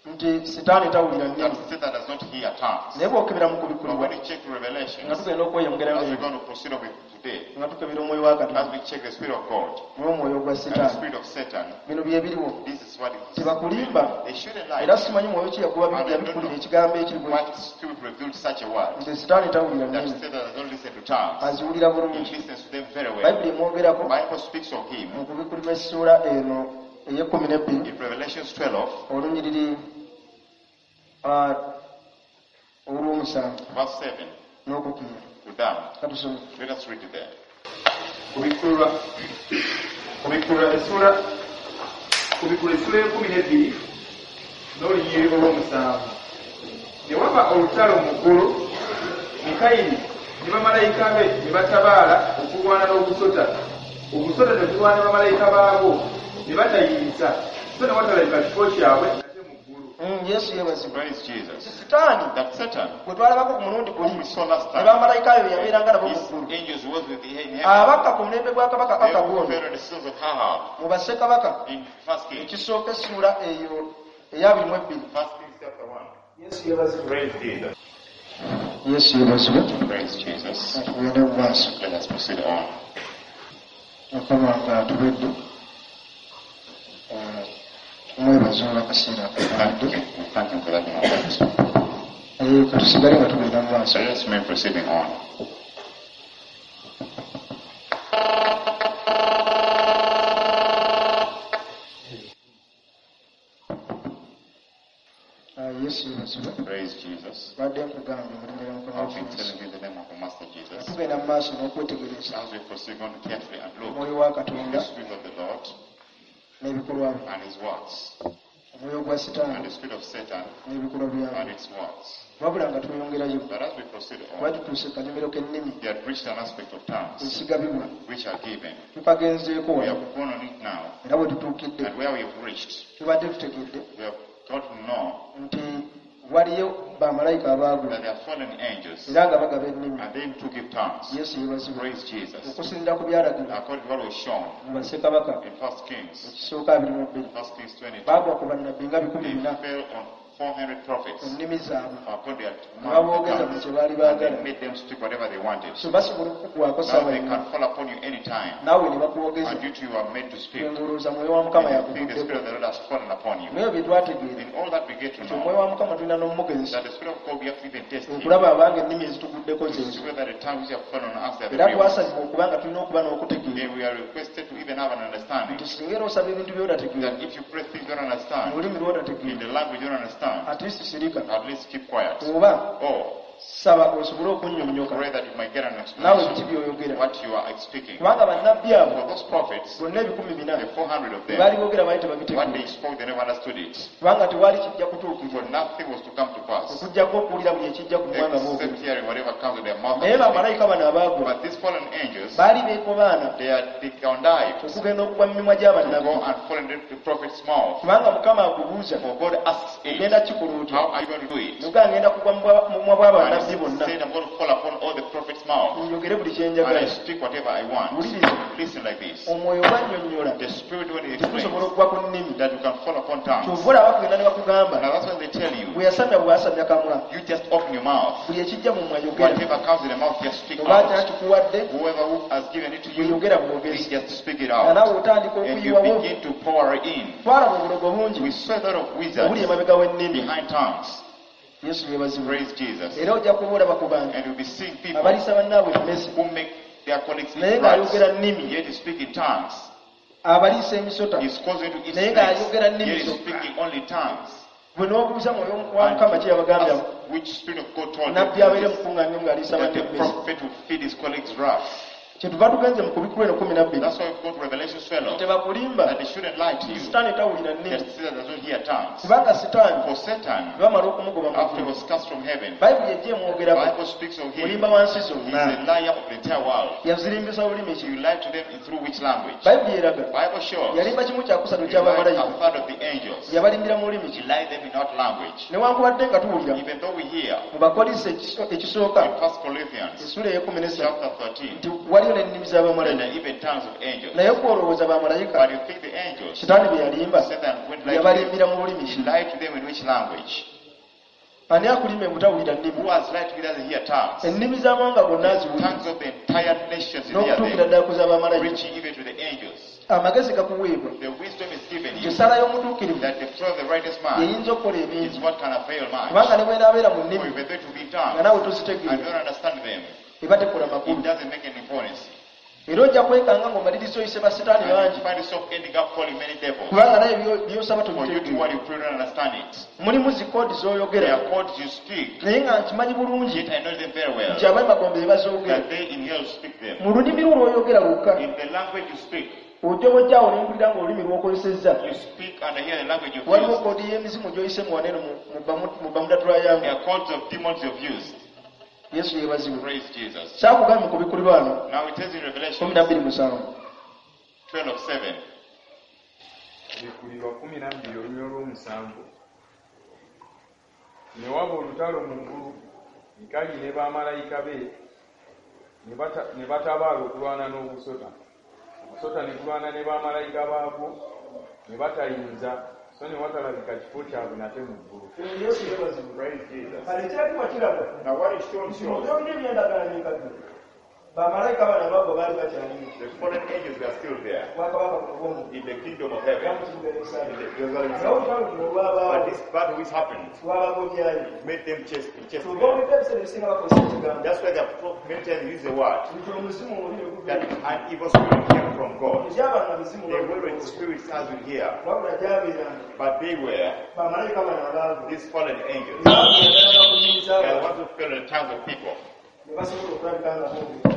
nti Sitaani tawulira nnimi. that Satan does not hear tongues. Naye bw'okebera mu But kubikkulirwa when you check nga Revelations, tugenda okweyongerayo as we're leero going to proceed on with today, nga tukebera omwoyo wa Katonda as we check the Spirit of God n'omwoyo gwa and the Sitaani, Spirit of Satan, bino bye biriwo. this is what it is. Tebakulimba They shouldn't lie. era simanyi mwoyo ki yabikkulira ekigambo ekiri bwe What Spirit revealed such a word nti Sitaani tawulira that nnimi, Satan does not listen to tongues. aziwulira He bulungi. listens to them very well. Bayibuli emwogerako Bible speaks of him mu kubikkulirwa essuula eno ey'ekkumi n'ebbiri in Revelations 12, olunyiriri olw'omusanvu verse 7 n'okukira. to down. Katusome. Let us read it there. Kubikkulwa essuula y'ekkumi n'ebbiri n'olunyiriri olw'omusanvu. Ne waba olutalo mu ggulu, Mikayiri ne bamalayika be ne batabaala okulwana n'ogusota. Ogusota ne gulwana bamalayika baagwo ne batayinza, so ne watalabika kifo kyabwe nate mu ggulu. Yesu yeebazibwe. Praise Jesus. Sitaani That Satan, gwe twalabako ku mulundi whom guli we saw last ne time, bamalayika be yabeeranga nabo mu his ggulu angels was with him in heaven. abakka ku mulembe gwa kabaka They who Akabu ono fell on the sons of Ahab mu bassekabaka in First Kings. ekisooka essuula eyo ey'abiri mu ebbiri. First Kings chapter 1. Yesu yeebazibwe. Praise Jesus. Yesu yeebazibwe. Praise Jesus. Tugende mu maaso. Let us proceed on. Mukama nga atubedde tumwebaza olw'akaseera Thank akatadde. you. We thank him for that moment. Naye katusigale nga tugenda mu maaso. So let us remain proceeding on. Yesu yeebazibwe. Praise Jesus. Badde nkugambye mu linnya lya Mukama I've been waffe Yesu. telling you in the name of the Master Nga Jesus. tugenda mu maaso n'okwetegereza As we proceed on carefully and look omwoyo wa the Katonda Spirit of the Lord N'ebikolwa bye and his works, omwoyo gwa and sitaani the spirit of Satan n'ebikolwa and byabwe its works. Wabula nga tweyongerayo But as we proceed kuba on, tutuuse ku kanyomero k'ennimi they had reached an aspect of tongues ezigabibwa which are given. Tukagenzeeko We wano have gone on it now, era bwe tutuukidde and where we have reached, tubadde tutegedde we have got to know nti waliyo bamalayika abaagula that there are fallen angels, era nga bagaba ennimi and they too give tongues. Yesu yeebazibwe Praise Jesus. Okusinziira ku byalagirwa According to what was shown mu bassekabaka in 1 Kings, ekisooka 22 1 Kings 22, baagwa ku bannabbi nga bikumi they bina fell on 400 prophets ennimi zaabwe according to their ne baboogeza buli tongues, kye baali and baagala they made them speak whatever they wanted. So basobola okukukwako Now saawa they yonna can fall upon you anytime, naawe ne bakwogeza and you too are made to speak. ng'olowooza mwoyo wa mukama And you think the yakuvuddeko Spirit of the Lord has fallen upon you. Naye bye twategeera In all that we get to nti know, omwoyo wa mukama tulina n'omugezesa that the Spirit of God, we have to even test him okulaba abanga ennimi ezituguddeko to zezo see whether the tongues which have fallen on us are the era real ones. twasabibwa okuba nga tulina okuba n'okutegeera Then we are requested to even have an understanding nti singa era osaba ebintu by'otategeera that if you pray things you don't mu understand, lulimi in lw'otategeera the language you don't understand, at least sirika at least keep quiet. Oba Or saba osobole okunnyonnyoka pray that you might get an naawe biki explanation by'oyogera what you are speaking. Kubanga bannabbi abo For those prophets, bonna ebikumi bina the 400 of them, baali boogera baali what tebabitegeera they spoke, they never understood it. Kubanga tewali kijja kutuukirira For nothing was to come to pass, okuggyako okuwulira buli ekijja ku mumwa nga boogera except hearing whatever comes with their mouth. Naye And speak. bamalayika bano abaagwa But these fallen angels, baali beekobaana they connived okugenda okugwa mu mimwa to gy'abannabbi go and fall into the prophet's mouth. Kubanga mukama akubuuza For God asks it, ogenda kikola otya how are you going to do it? Nugaa ngenda kugwa mu mumwa And bw'abannabbi he bonna said, I'm going to fall upon all the prophets' mouth, njogere buli kye and I njagala speak whatever I want. Wuliriza Listen like this. Omwoyo gwannyonnyola The Spirit, when he tusobola explains okugwa ku nnimi that you can fall upon tongues. Kyova olaba bakugenda ne bakugamba Now that's when they tell you, bwe yasamya bw'asamya kamwa you just open your mouth. Buli ekijja mu mumwa yogera Whatever comes in the mouth, just speak oba out. kyakikuwadde Whoever who has given it to you, bweyogera please bwogezi just speak it nga out. naawe otandika And you okuyiwawo begin to pour in. Twalaba obulogo bungi We saw a lot of obuli wizards emabega w'ennimi behind tongues. Yesu yeebazibwe Praise Jesus. Era ojja kuba olaba ku bantu And you'll be seeing people abaliisa bannaabwe emmese who make their colleagues naye eat rats, ng'ayogera nnimi yet he speak in tongues. Abaliisa emisota He's causing to eat naye snakes, ng'ayogera nnimi yet he's zokka speaking only tongues. Bwe n'obuuza mwoyo wa And mukama ki yabagambye ask which spirit of God told them nabbi abeere mukuŋŋaanyo ng'aliisa that banne the emmese prophet will feed his colleagues rats. Kyetuva tugenze mu kubikulu eno kumi nabbiri That's why we go to Revelation 12, tebakulimba that they shouldn't lie to you. Sitaani tawulira nnimi That Satan does not hear tongues. Kubanga sitaani For Satan, bamala okumugoba mu after he ggulu was cast from heaven, bayibuli ejja emwogerako Bible speaks of him. Mulimba wansi He's zonna a liar of the entire world. Yazirimbisa lulimi ki You lied to them in through which language? Bayibuli eraga Bible shows yalimba kimu kyakusatu he lied ky'abamalayika a third of the angels. Yabalimbira mu lulimi He ki lied them in what language? Newankubadde nga tuwulira Even though we hear mu Bakolinso ekiso- ekisooka in 1 Corinthians essula ey'ekumi n'essatu chapter 13, nti waliyo n'ennimi that z'abamalayika there are even tongues of angels. Naye kwolowooza bamalayika But you think the angels, sitaani bye yalimba Satan went lied to them. yabalimbira mu lulimi He ki lied to them in which language? Ani akulima ebutawulira nnimi Who has lied to you doesn't hear tongues? Ennimi z'amawanga gonna aziwulira Tongues of the entire nations he hear n'okutuukira them, ddala ku z'abamalayika reaching even to the angels. Amagezi gakuweebwa The wisdom is given nti you essala y'omutuukirivu that the prayer of the righteous man yeyinza okukola is ebingi what can avail much. Kubanga ne bw'enaabeera mu For nnimi if they to be in nga tongues naawe and tozitegeera don't understand them, eba tekola it makulu doesn't make any importance. Era ojja kwekanga ng'omaliriza oyise basitaani And bangi you find yourself ending up calling many devils. Kubanga naye byo- by'osaba For you to tobitegeera what you pray, don't understand it. Mulimu zikoodi There z'oyogera are codes you speak, naye nga nkimanyi bulungi yet I know them very well, nti ab'emagombe be bazoogera that they in hell speak them. Mu lulimi lwo lw'oyogera lwokka In the language you speak, ojja bwojjaawo ne mpulira ng'olulimi lw'okozesezza you speak and I hear the language you've waliwo used. koodi y'emizimu gy'oyise mu waneeno mu- mu Bamu- mu Bermuda Triangle There are codes of demons you've used. Yesu yeebazibwe Praise Jesus. Kyakugambye mu kubikulirwa wano Now it says in Revelation kumi na bbiri musanvu 12:7. Bikulirwa kumi na bbiri olunyiriri olw'omusanvu ne waba olutalo mu ggulu mikayiri ne bamalayika be ne bata- ne batabaala okulwana n'ogusota ogusota ne gulwana ne bamalayika baagwo ne batayinza so ne watalabika kifo kyabwe nate mu ggulu Yesu yeebazibwe Praise Jesus. Kale ekiragibwa kirabwa Now what is shown shows byonna ebyendagaano enkadde bamalayika bano abaagwa baali bakyaliyo the fallen angels were still there bwakabaka obw'omu in the kingdom of heaven, mu kibuga Yerusaalemi in the Jerusalem Naye city. olutalo luno olwabaawo But this battle which happened lwabagobyayo made them chase, chase Kyova them. owulidde ebiseera ebisinga bakozesa ekigambo That's why they have many times used the word nti omuzimu omubi ne guva that an evil spirit came from God. Ekyabanga mizimu They weren't spirits as we hear, wabula gyabeeranga but they were bamalayika bano abaagwa these fallen angels. Baagenda bakunyiriza They are the abantu ones who fell in the tongues of people. ne basobola okulabika nga boogera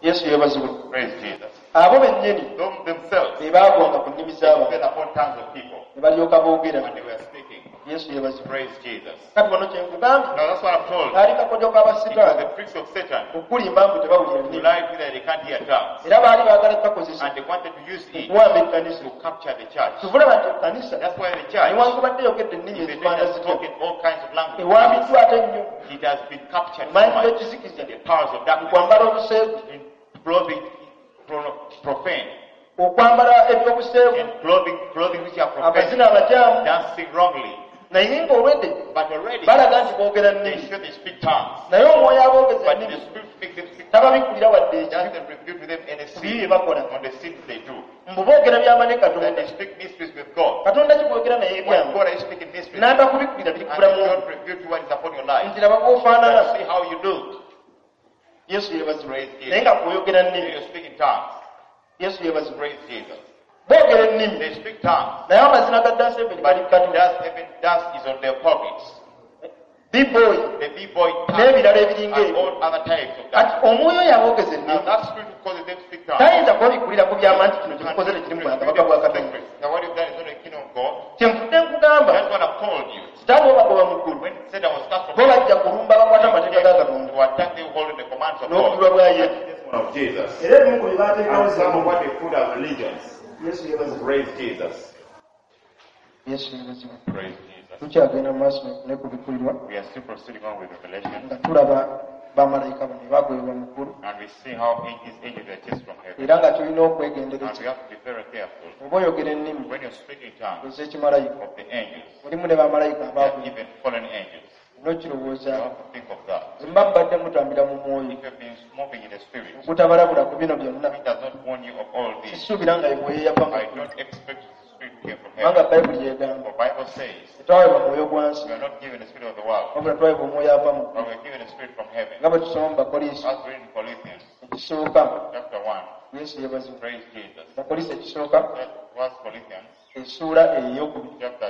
Yesu yeebazibwe Praise Jesus. Abo bennyini Them themselves be baagwanga ku nnimi z'abantu fell upon tongues of people ne balyoka boogera. and they were speaking. Yesu yeebazibwe. Praise Jesus. Kati wano kye nkugambye Now that's what I'm told. kaali kakodyo It was k'abasitaani the tricks of Satan okulimba mbu tebawulira to nnimi lie to you that they can't hear tongues. era baali baagala kukakozesa And they wanted to use it okuwamba ekkanisa. to capture the church. Tuvulaba nti ekkanisa That's why the church, newankubadde eyogedde ennimi if they ezifaana have zityo spoken all kinds of languages, ewambiddwa ate nnyo it has been captured mu so maanyi much g'ekizikiza in the powers of mu darkness, kwambala obuseegu in clothing profane, okwambala ebyobuseegu in clothing which are profane, amazina amakyamu dancing wrongly. Naye ng'olwedde But already, balaga nti boogera they nnimi show they speak tongues. naye omwoyo aboogeza But the ennimi Spirit makes them speak tongues. tababikkulira wadde ekibi Doesn't reveal to them any ku bibi bye sin bakola on the sins they do. mbu boogera byama ne That Katonda. they speak mysteries with God. Katonda kikwogera naye When ebyama God is speaking mysteries, and n'atakubikkulira biri they kubulamu don't reveal to what is upon your life. nti laba bw'ofaanana. That see how you look. Yesu yeebazibwe. Praise Jesus. Naye nga kwoyogera nnimi. You speak in tongues. Yesu yeebazibwe. Praise Jesus. Boogera ennimi They speak tongues. naye amazina ga dance heaven gali But Katonda dust, even dust is on their pockets. B-boy The B-boy tongue n'ebirala ebiringa and ebyo. all other types of dance. Kati omwoyo oyo aboogeza Now ennimi that spirit who causes them to speak tongues. tayinza kubabikulira ku byama nti kino kyemukoze tekiri mu bwakabaka bwa Katonda. Now what you've done is not the kingdom of God. Kyenvudde nkugamba That's what I've told you. sitaani obagoba mu ggulu When Satan was cast from bo heaven, bajja kulumba abakwata amateeka ga Katonda to attack them holding the commands of God. n'obujulwa bwa Yesu. Of Jesus. Era ebimu ku bye baateekawo And some of what they put as religions. Yesu yeebazibwe. Praise Jesus. Yesu yeebazibwe. Praise Jesus. Tukyagenda mu maaso ne kubikkulirwa We are still proceeding on with Revelation. nga tulaba bamalayika bano bagoyebwa mu ggulu And we see how these angels were chased from heaven. era nga tulina And okwegendereza we have to be very careful. oba oyogera ennimi When you're speaking tongues ez'ekimalayika of the angels, mulimu ne bamalayika they are abaagwe even fallen angels. n'okirowooza You have to think of that. mba mubadde mutambira mu mwoyo If you've been moving in the spirit, ogutabalabula ku bino byonna it does not warn you of all this. sisuubira nga mwoyo yava mu I ggulu don't expect the spirit to came from kubanga heaven. Bayibuli yegamba The Bible says tetwaweebwa mwoyo gwa nsi we are not given the spirit of the world, wabula twaweebwa omwoyo ava mu but ggulu we are given the spirit from heaven. nga bwe tusoma mu Bakoliisi As we read in Corinthians ekisooka. chapter 1, Yesu yeebazibwe. praise Jesus. Bakoliisi ekisooka First Corinthians essuula ey'okubiri chapter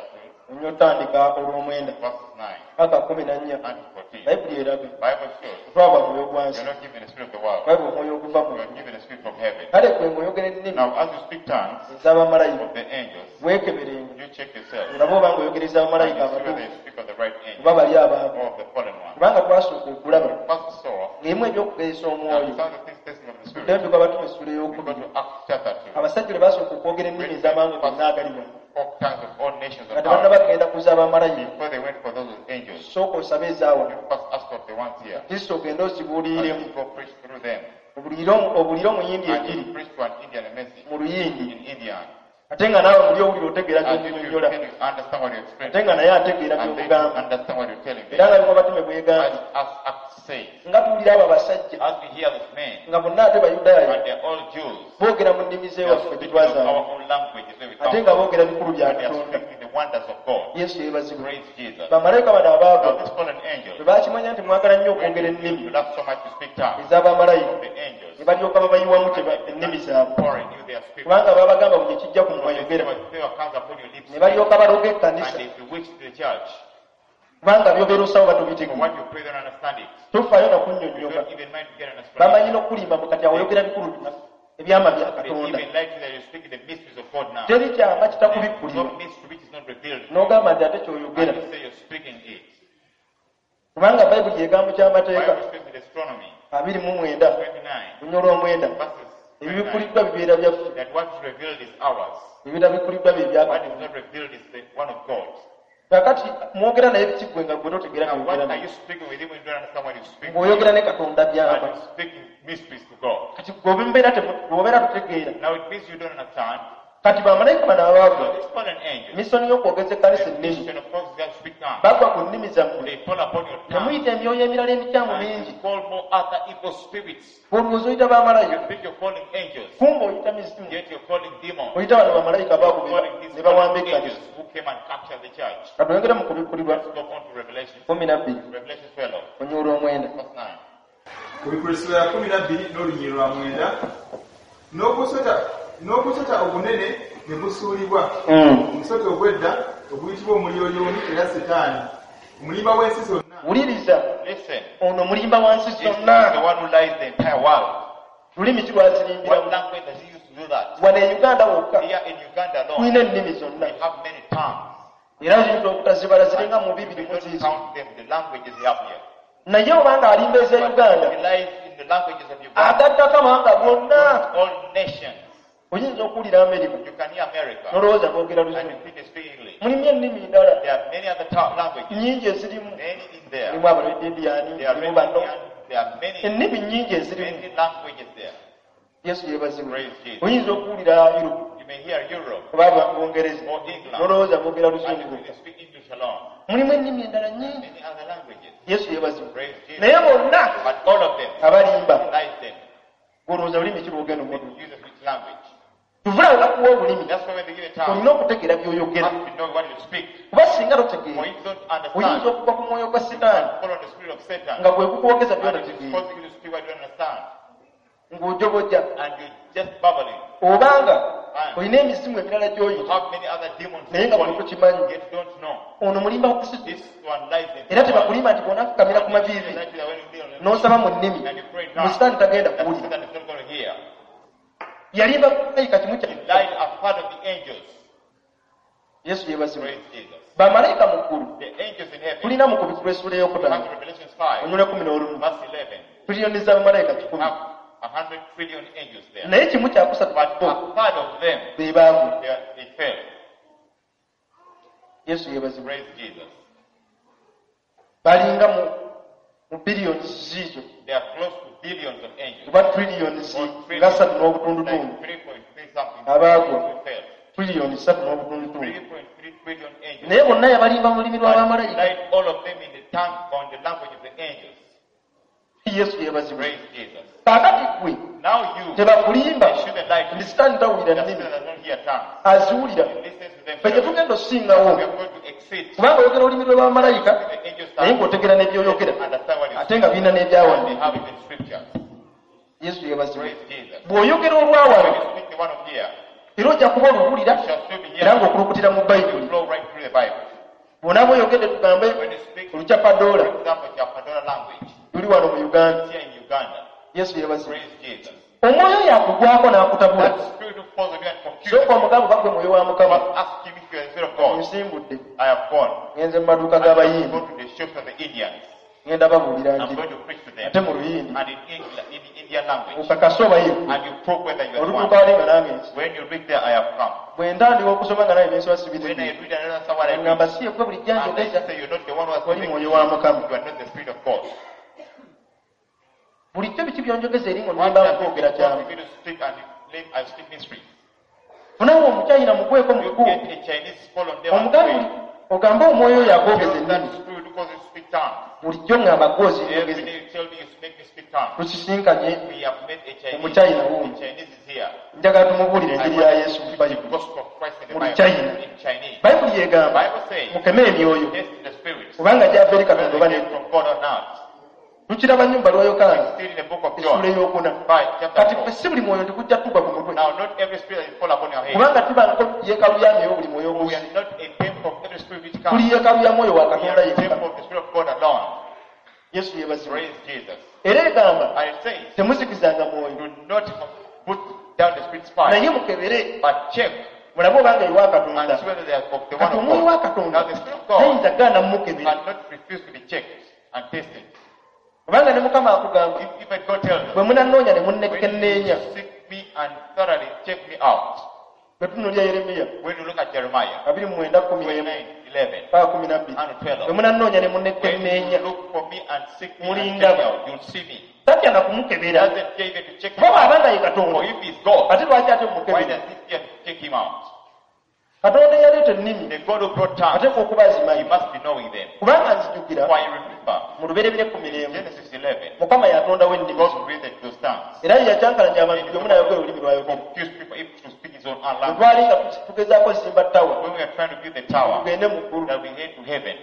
2, onywa otandika olw'omwenda verses 9 paka 14 and 14. Bayibuli eraga Bible shows tetwaweebwa mwoyo gwa we nsi are not given the spirit of the world, twaweebwa omwoyo oguva mu we are ggulu. given the spirit from heaven. Kale gwe ng'oyogera ennimi Now, as you speak tongues ez'abamalayika of the angels, weekeberenga you check yourself. olabe oba ng'oyogera And ez'abamalayika you see whether abatuufu you speak of the right angel oba bali abantu or of the fallen one. kubanga twasooka okulaba First saw ng'emu eby'okugezesa that omwoyo some of the things testing of the spirit. tuddeyo tukabatume essula We go ey'okubiri to Acts chapter 2. abasajja lwe basooka okwogera ennimi ez'amawanga gonna agali wano All kinds of all nations nga of tebannaba earth. kugenda kuza abamalayika Before they went for those with angels, sooka osabe ezaawa you first ask of the ones here. Kristo ogende ozibuuliremu And you go preach through them. obuulire omuyindi And enjiri you preach to an Indian a message mu luyindi in Indian. ate nga naawe muli owulira otegeera And if you gy'omunyonnyola can you understand what you explain, ate nga naye ategeera and they by'omugamba understand what you're telling era them. nga bimwe batume bwegamba As Acts says, nga tuwulira abo abasajja as we hear this man, nga bonna ate Bayudaaya and they're all Jews, boogera mu nnimi they are z'ewaffe gye speaking of twazaala our own languages where we ate come nga from, boogera bikulu bya and they are Katonda. speaking the wonders of God. Yesu yeebazibwe. Praise Jesus. Bamalayika bano Now abaagwa these fallen angels, bwe baakimanya nti mwagala nnyo when okwogera you ennimi love so much to speak tongues, ez'abamalayika the angels, ne balyoka babayiwamu ennimi zaabwe pouring you their spirit. kubanga baabagamba buli ekijja ku Because mwayogera favor comes upon your lips, ne balyoka baloga and ekkanisa they bewitch the church. kubanga by'obeera osawo For batobitegeera what you pray, they don't understand it. tofaayo You nakunnyonnyoka don't even mind to get an bamanyi explanation. n'okulimba mu kati awo oyogera bikulu ebyama bya They Katonda even lie to you that you're speaking the mysteries of God now. teri kyama There's kitakubikkulirwa no mystery which is not revealed. n'ogamba nti ate ky'oyogera And you say you're speaking it. kubanga Bayibuli yegambo ky'amateeka Bible speaks with astronomy. 29 29 lunya olw'omwenda verses 29, ebibikkuliddwa bibeera byaffe that what is revealed is ours. ebitabikkuliddwa bye bya What is Katonda not revealed is the one of God. Kaakati mwogera naye biki ggwe nga gwe totegeera Now, what by'oyogera are naye you speaking with him when you don't understand what you speak? ng'oyogera ne Katonda And byama you're speaking mysteries to God. kati gwe obeera totegeera Now it means you don't understand. Kati bamalayika bano abaagwa So these fallen angels, misoni y'okwogeza ekkanisa the ennimi mission of course is to speak tongues. bagwa ku nnimi zammwe They fall upon your ne tongue muyita emyoyo emirala emikyamu and mingi you call more other evil spirits. olowooza oyita You bamalayika think you're calling angels, kumbe oyita mizimu yet you're calling demons. oyita bano bamalayika You're baagubira calling these ne bawamba fallen ekkanisa angels who came and captured the church. katwongere mu kubikkulirwa Let's go on to Revelation. 12 Revelation 12, onyoola omwenda verse 9. Kubikula essula ya 12 n'olunyiriri lwa 9 n'ogusota ogunene ne gusuulibwa omusota ogw'edda oguyitibwa omulyolyomi era Setaani omulimba w'ensi zonna. Wuliriza Listen, ono mulimba wa nsi this is the zonna one who lies the entire world. lulimi ki What lwazirimbiramu language does he Uganda wokka Here in Uganda alone, tulina ennimi zonna. We have many tongues. Era oyinza obutazibala, ziringa mu bibiri We mu don't ziizo. count them, the languages we have here. Naye obanga alimba ez'e But Uganda, he lies in the languages of Uganda. agattako amawanga gonna. All nations. Oyinza okuwulira Amerika You can hear America nolowooza boogera and you Luzungu. think they speak English. Mulimu ennimi ndala There are many other languages. nnyingi ezirimu. Many in there. Mulimu Abaledidiani, There are mulimu many bano. Indian, there are many, Ennimi nnyingi ezirimu. many languages there. Yesu yeebazibwe. Praise Jesus. Oyinza okuwulira Europe You may hear Europe oba Bungereza or England nolowooza boogera and you Luzungu. think they speak English alone. Mulimu ennimi endala nnyingi. Many other languages. Yesu yeebazibwe. Praise Jesus. Naye bonna But all of them abalimba. lies them. Olowooza lulimi ki lwogenda They omudu? use which language. Tuvulawo bakuwa obulimi. That's why when they give a tongue, Olina okutegeera you by'oyogera. have to know what you speak. Kuba singa For totegeera, if you don't oyinza understand, okugwa ku mwoyo gwa Sitaani follow the spirit of Satan. nga gwe gukwogeza And it is by'otategeera, causing you to speak what you don't understand. ng'ojobojja. And you're just babbling. Obanga olina emizimu emirala You gy'oyita have many other demons naye nga in gwe you, tokimanyi. yet you don't know. Ono mulimba wa Kristo. This one lies in Era tebakulimba nti bw'onaafukamira ku maviivi n'osaba mu nnimi, And you pray in mu tongues, Sitaani tagenda that kuwulira. Satan is not going to hear. Yalimba malayika kimu He kya lied a part of the angels. Yesu yeebazibwe. Praise Jesus. Bamalayika mu ggulu The angels in heaven. tulina mu Kubikkulwa essuula ey'okutaano Come to Revelation 5, onyula 11, verse 11. tuliyoni z'abamalayika 100, Have 100 trillion angels there. naye kimu kyakusatu But bo a third of them, be baagwa. they fell. Yesu yeebazibwe. Praise Jesus. Balinga mu biliyoni ziizo They are close to billions of angels. oba triliyoni Or nga trillions, ssatu n'obutundutundu like 3.3 something. Abaagwa. Who fell. Triliyoni ssatu n'obutundutundu. 3.3 trillion angels. Naye bonna yabalimba mu lulimi But lw'abamalayika. lied all of them in the tongue on the language of the angels. Yesu yeebazibwe. Praise Jesus. Kaakati ggwe Now you, tebakulimba they shouldn't lie to nti you. Sitaani tawulira The nnimi, Satan does not hear tongues. aziwulira. He listens to them. Ffe very well. tetugenda osingawo, We are going to exceed kubanga oyogera olulimi lw'abamalayika the angels' naye tongue. ng'otegera n'ebyoyogera, Understand what you ate nga birina They n'ebyawandiikibwa. have even scriptures. Yesu yeebazibwe. Praise Jesus. Bw'oyogera olwawano, When you speak the one of here, era ojja kuba oluwulira you shall still be era here. ng'okulukutira mu You Bayibuli. flow right through the Bible. Bw'onaaba oyogedde, tugambe When you speak, for Olucapadoola example, Japadora language, luli wano mu Uganda. here in Uganda. Yesu yeebazibwe. Praise Jesus. Omwoyo yakugwako n'akutabula. That spirit who falls on you and confuses Sooka you. omugambo bagwe mwoyo wa Mukama. Must ask him if you are the spirit of God. Nsimbudde, I have gone. ngenze mu maduuka I have g'Abayindi, gone to the shops of the Indians. ngenda babuulira I'm njiri going to preach to them. ate mu Luyindi. And in England, in the Indian language. Okakase obayivu. And you prove whether you are the Olutuuka one. wali nga nange nsi When you reach there, I have come. bwe ntandika okusoma nga naye nensoba When I sibitegeera, read another someone I read. ngamba si yegwe bulijjo And I njogeza, say you're not the one who has oli been mwoyo wa Mukama. You are not the spirit of God. Bulijjo biki byonjogeza eri What ng'onimba does nkwogera it kyamu? cause me to speak and claim I speak mysteries? Funawo Omuchayina mugweko You muku get a Chinese fall on them and omugambe pray. ogambe omwoyo oyo akwogeza Tell that ennimi. spirit who causes you to speak tongues. Bulijjo ŋŋamba Every gwozinjogeza. day you tell me you make me speak tongues. Tusisinkanye We have met a Chinese. Omuchayina wuuyo. A Chinese is here. Njagala tumubuulire I enjiri ya want Yesu to mu preach the Bayibuli gospel of Christ in the Mu Bible. Luchina. In Chinese. Bayibuli yegamba Bible says, mukeme emyoyo test the spirits. kubanga gyava eri Katonda Whether oba they came nedda. from God or not. Tukiraba nnyo mu bbaluwa Yokaana Still in the book of essuula John. ey'okuna. 5, chapter Kati 4. ffe si buli mwoyo nti gujja tugwa ku mutwe, Now, not every spirit that fall upon your head. kubanga tubangako yeekalu ya myoyo buli mwoyo We ogusi. are not a temple of every spirit which Tuli comes. yeekalu ya mwoyo wa We Katonda are a yekka. temple of the Spirit of God alone. Yesu yeebazibwe. Praise Jesus. Era egamba And it says, temuzikizanga mwoyo, do not put down the spirit's fire, naye mukebere but check mulabe obanga ewa and Katonda. see whether they are of the one Kati of omwoyo wa God. Katonda Now, the Spirit of God tayinza gaana mumukebera, cannot refuse to be checked and tested. kubanga ne Mukama akugamba If even God tells us, bwe munanoonya ne when munnekenneenya. you seek me and thoroughly check me out, Bwe tunuulira Yeremiya when you look at Jeremiah 29:11 29, 11 paka 12, and bwe 12, munanoonya ne when munnekenneenya you look for me and seek me and check me Mulindaba. out, you'll see me. Tatya na kumukebera, Doesn't fear even to check him kuba bw'aba out. nga ye Katonda, For if he's God, ate lwaki ate why mumukebera? does he fear to check him out? Katonda eyaleeta ennimi The God who brought tongues, ateekwa okuba he azimanyi, must be knowing them. kubanga nzijukira For I remember, mu Lubereberye 11, Genesis 11, Mukama yatondawo ennimi, God created those tongues. era ye yakyankalanya abantu buli omu n'ayogera olulimi lwayogera. Confused people if to speak his own Bwe language. twali nga tugezaako zimba ttawa When we are trying to build the tower, tugende mu ggulu, that we head to heaven,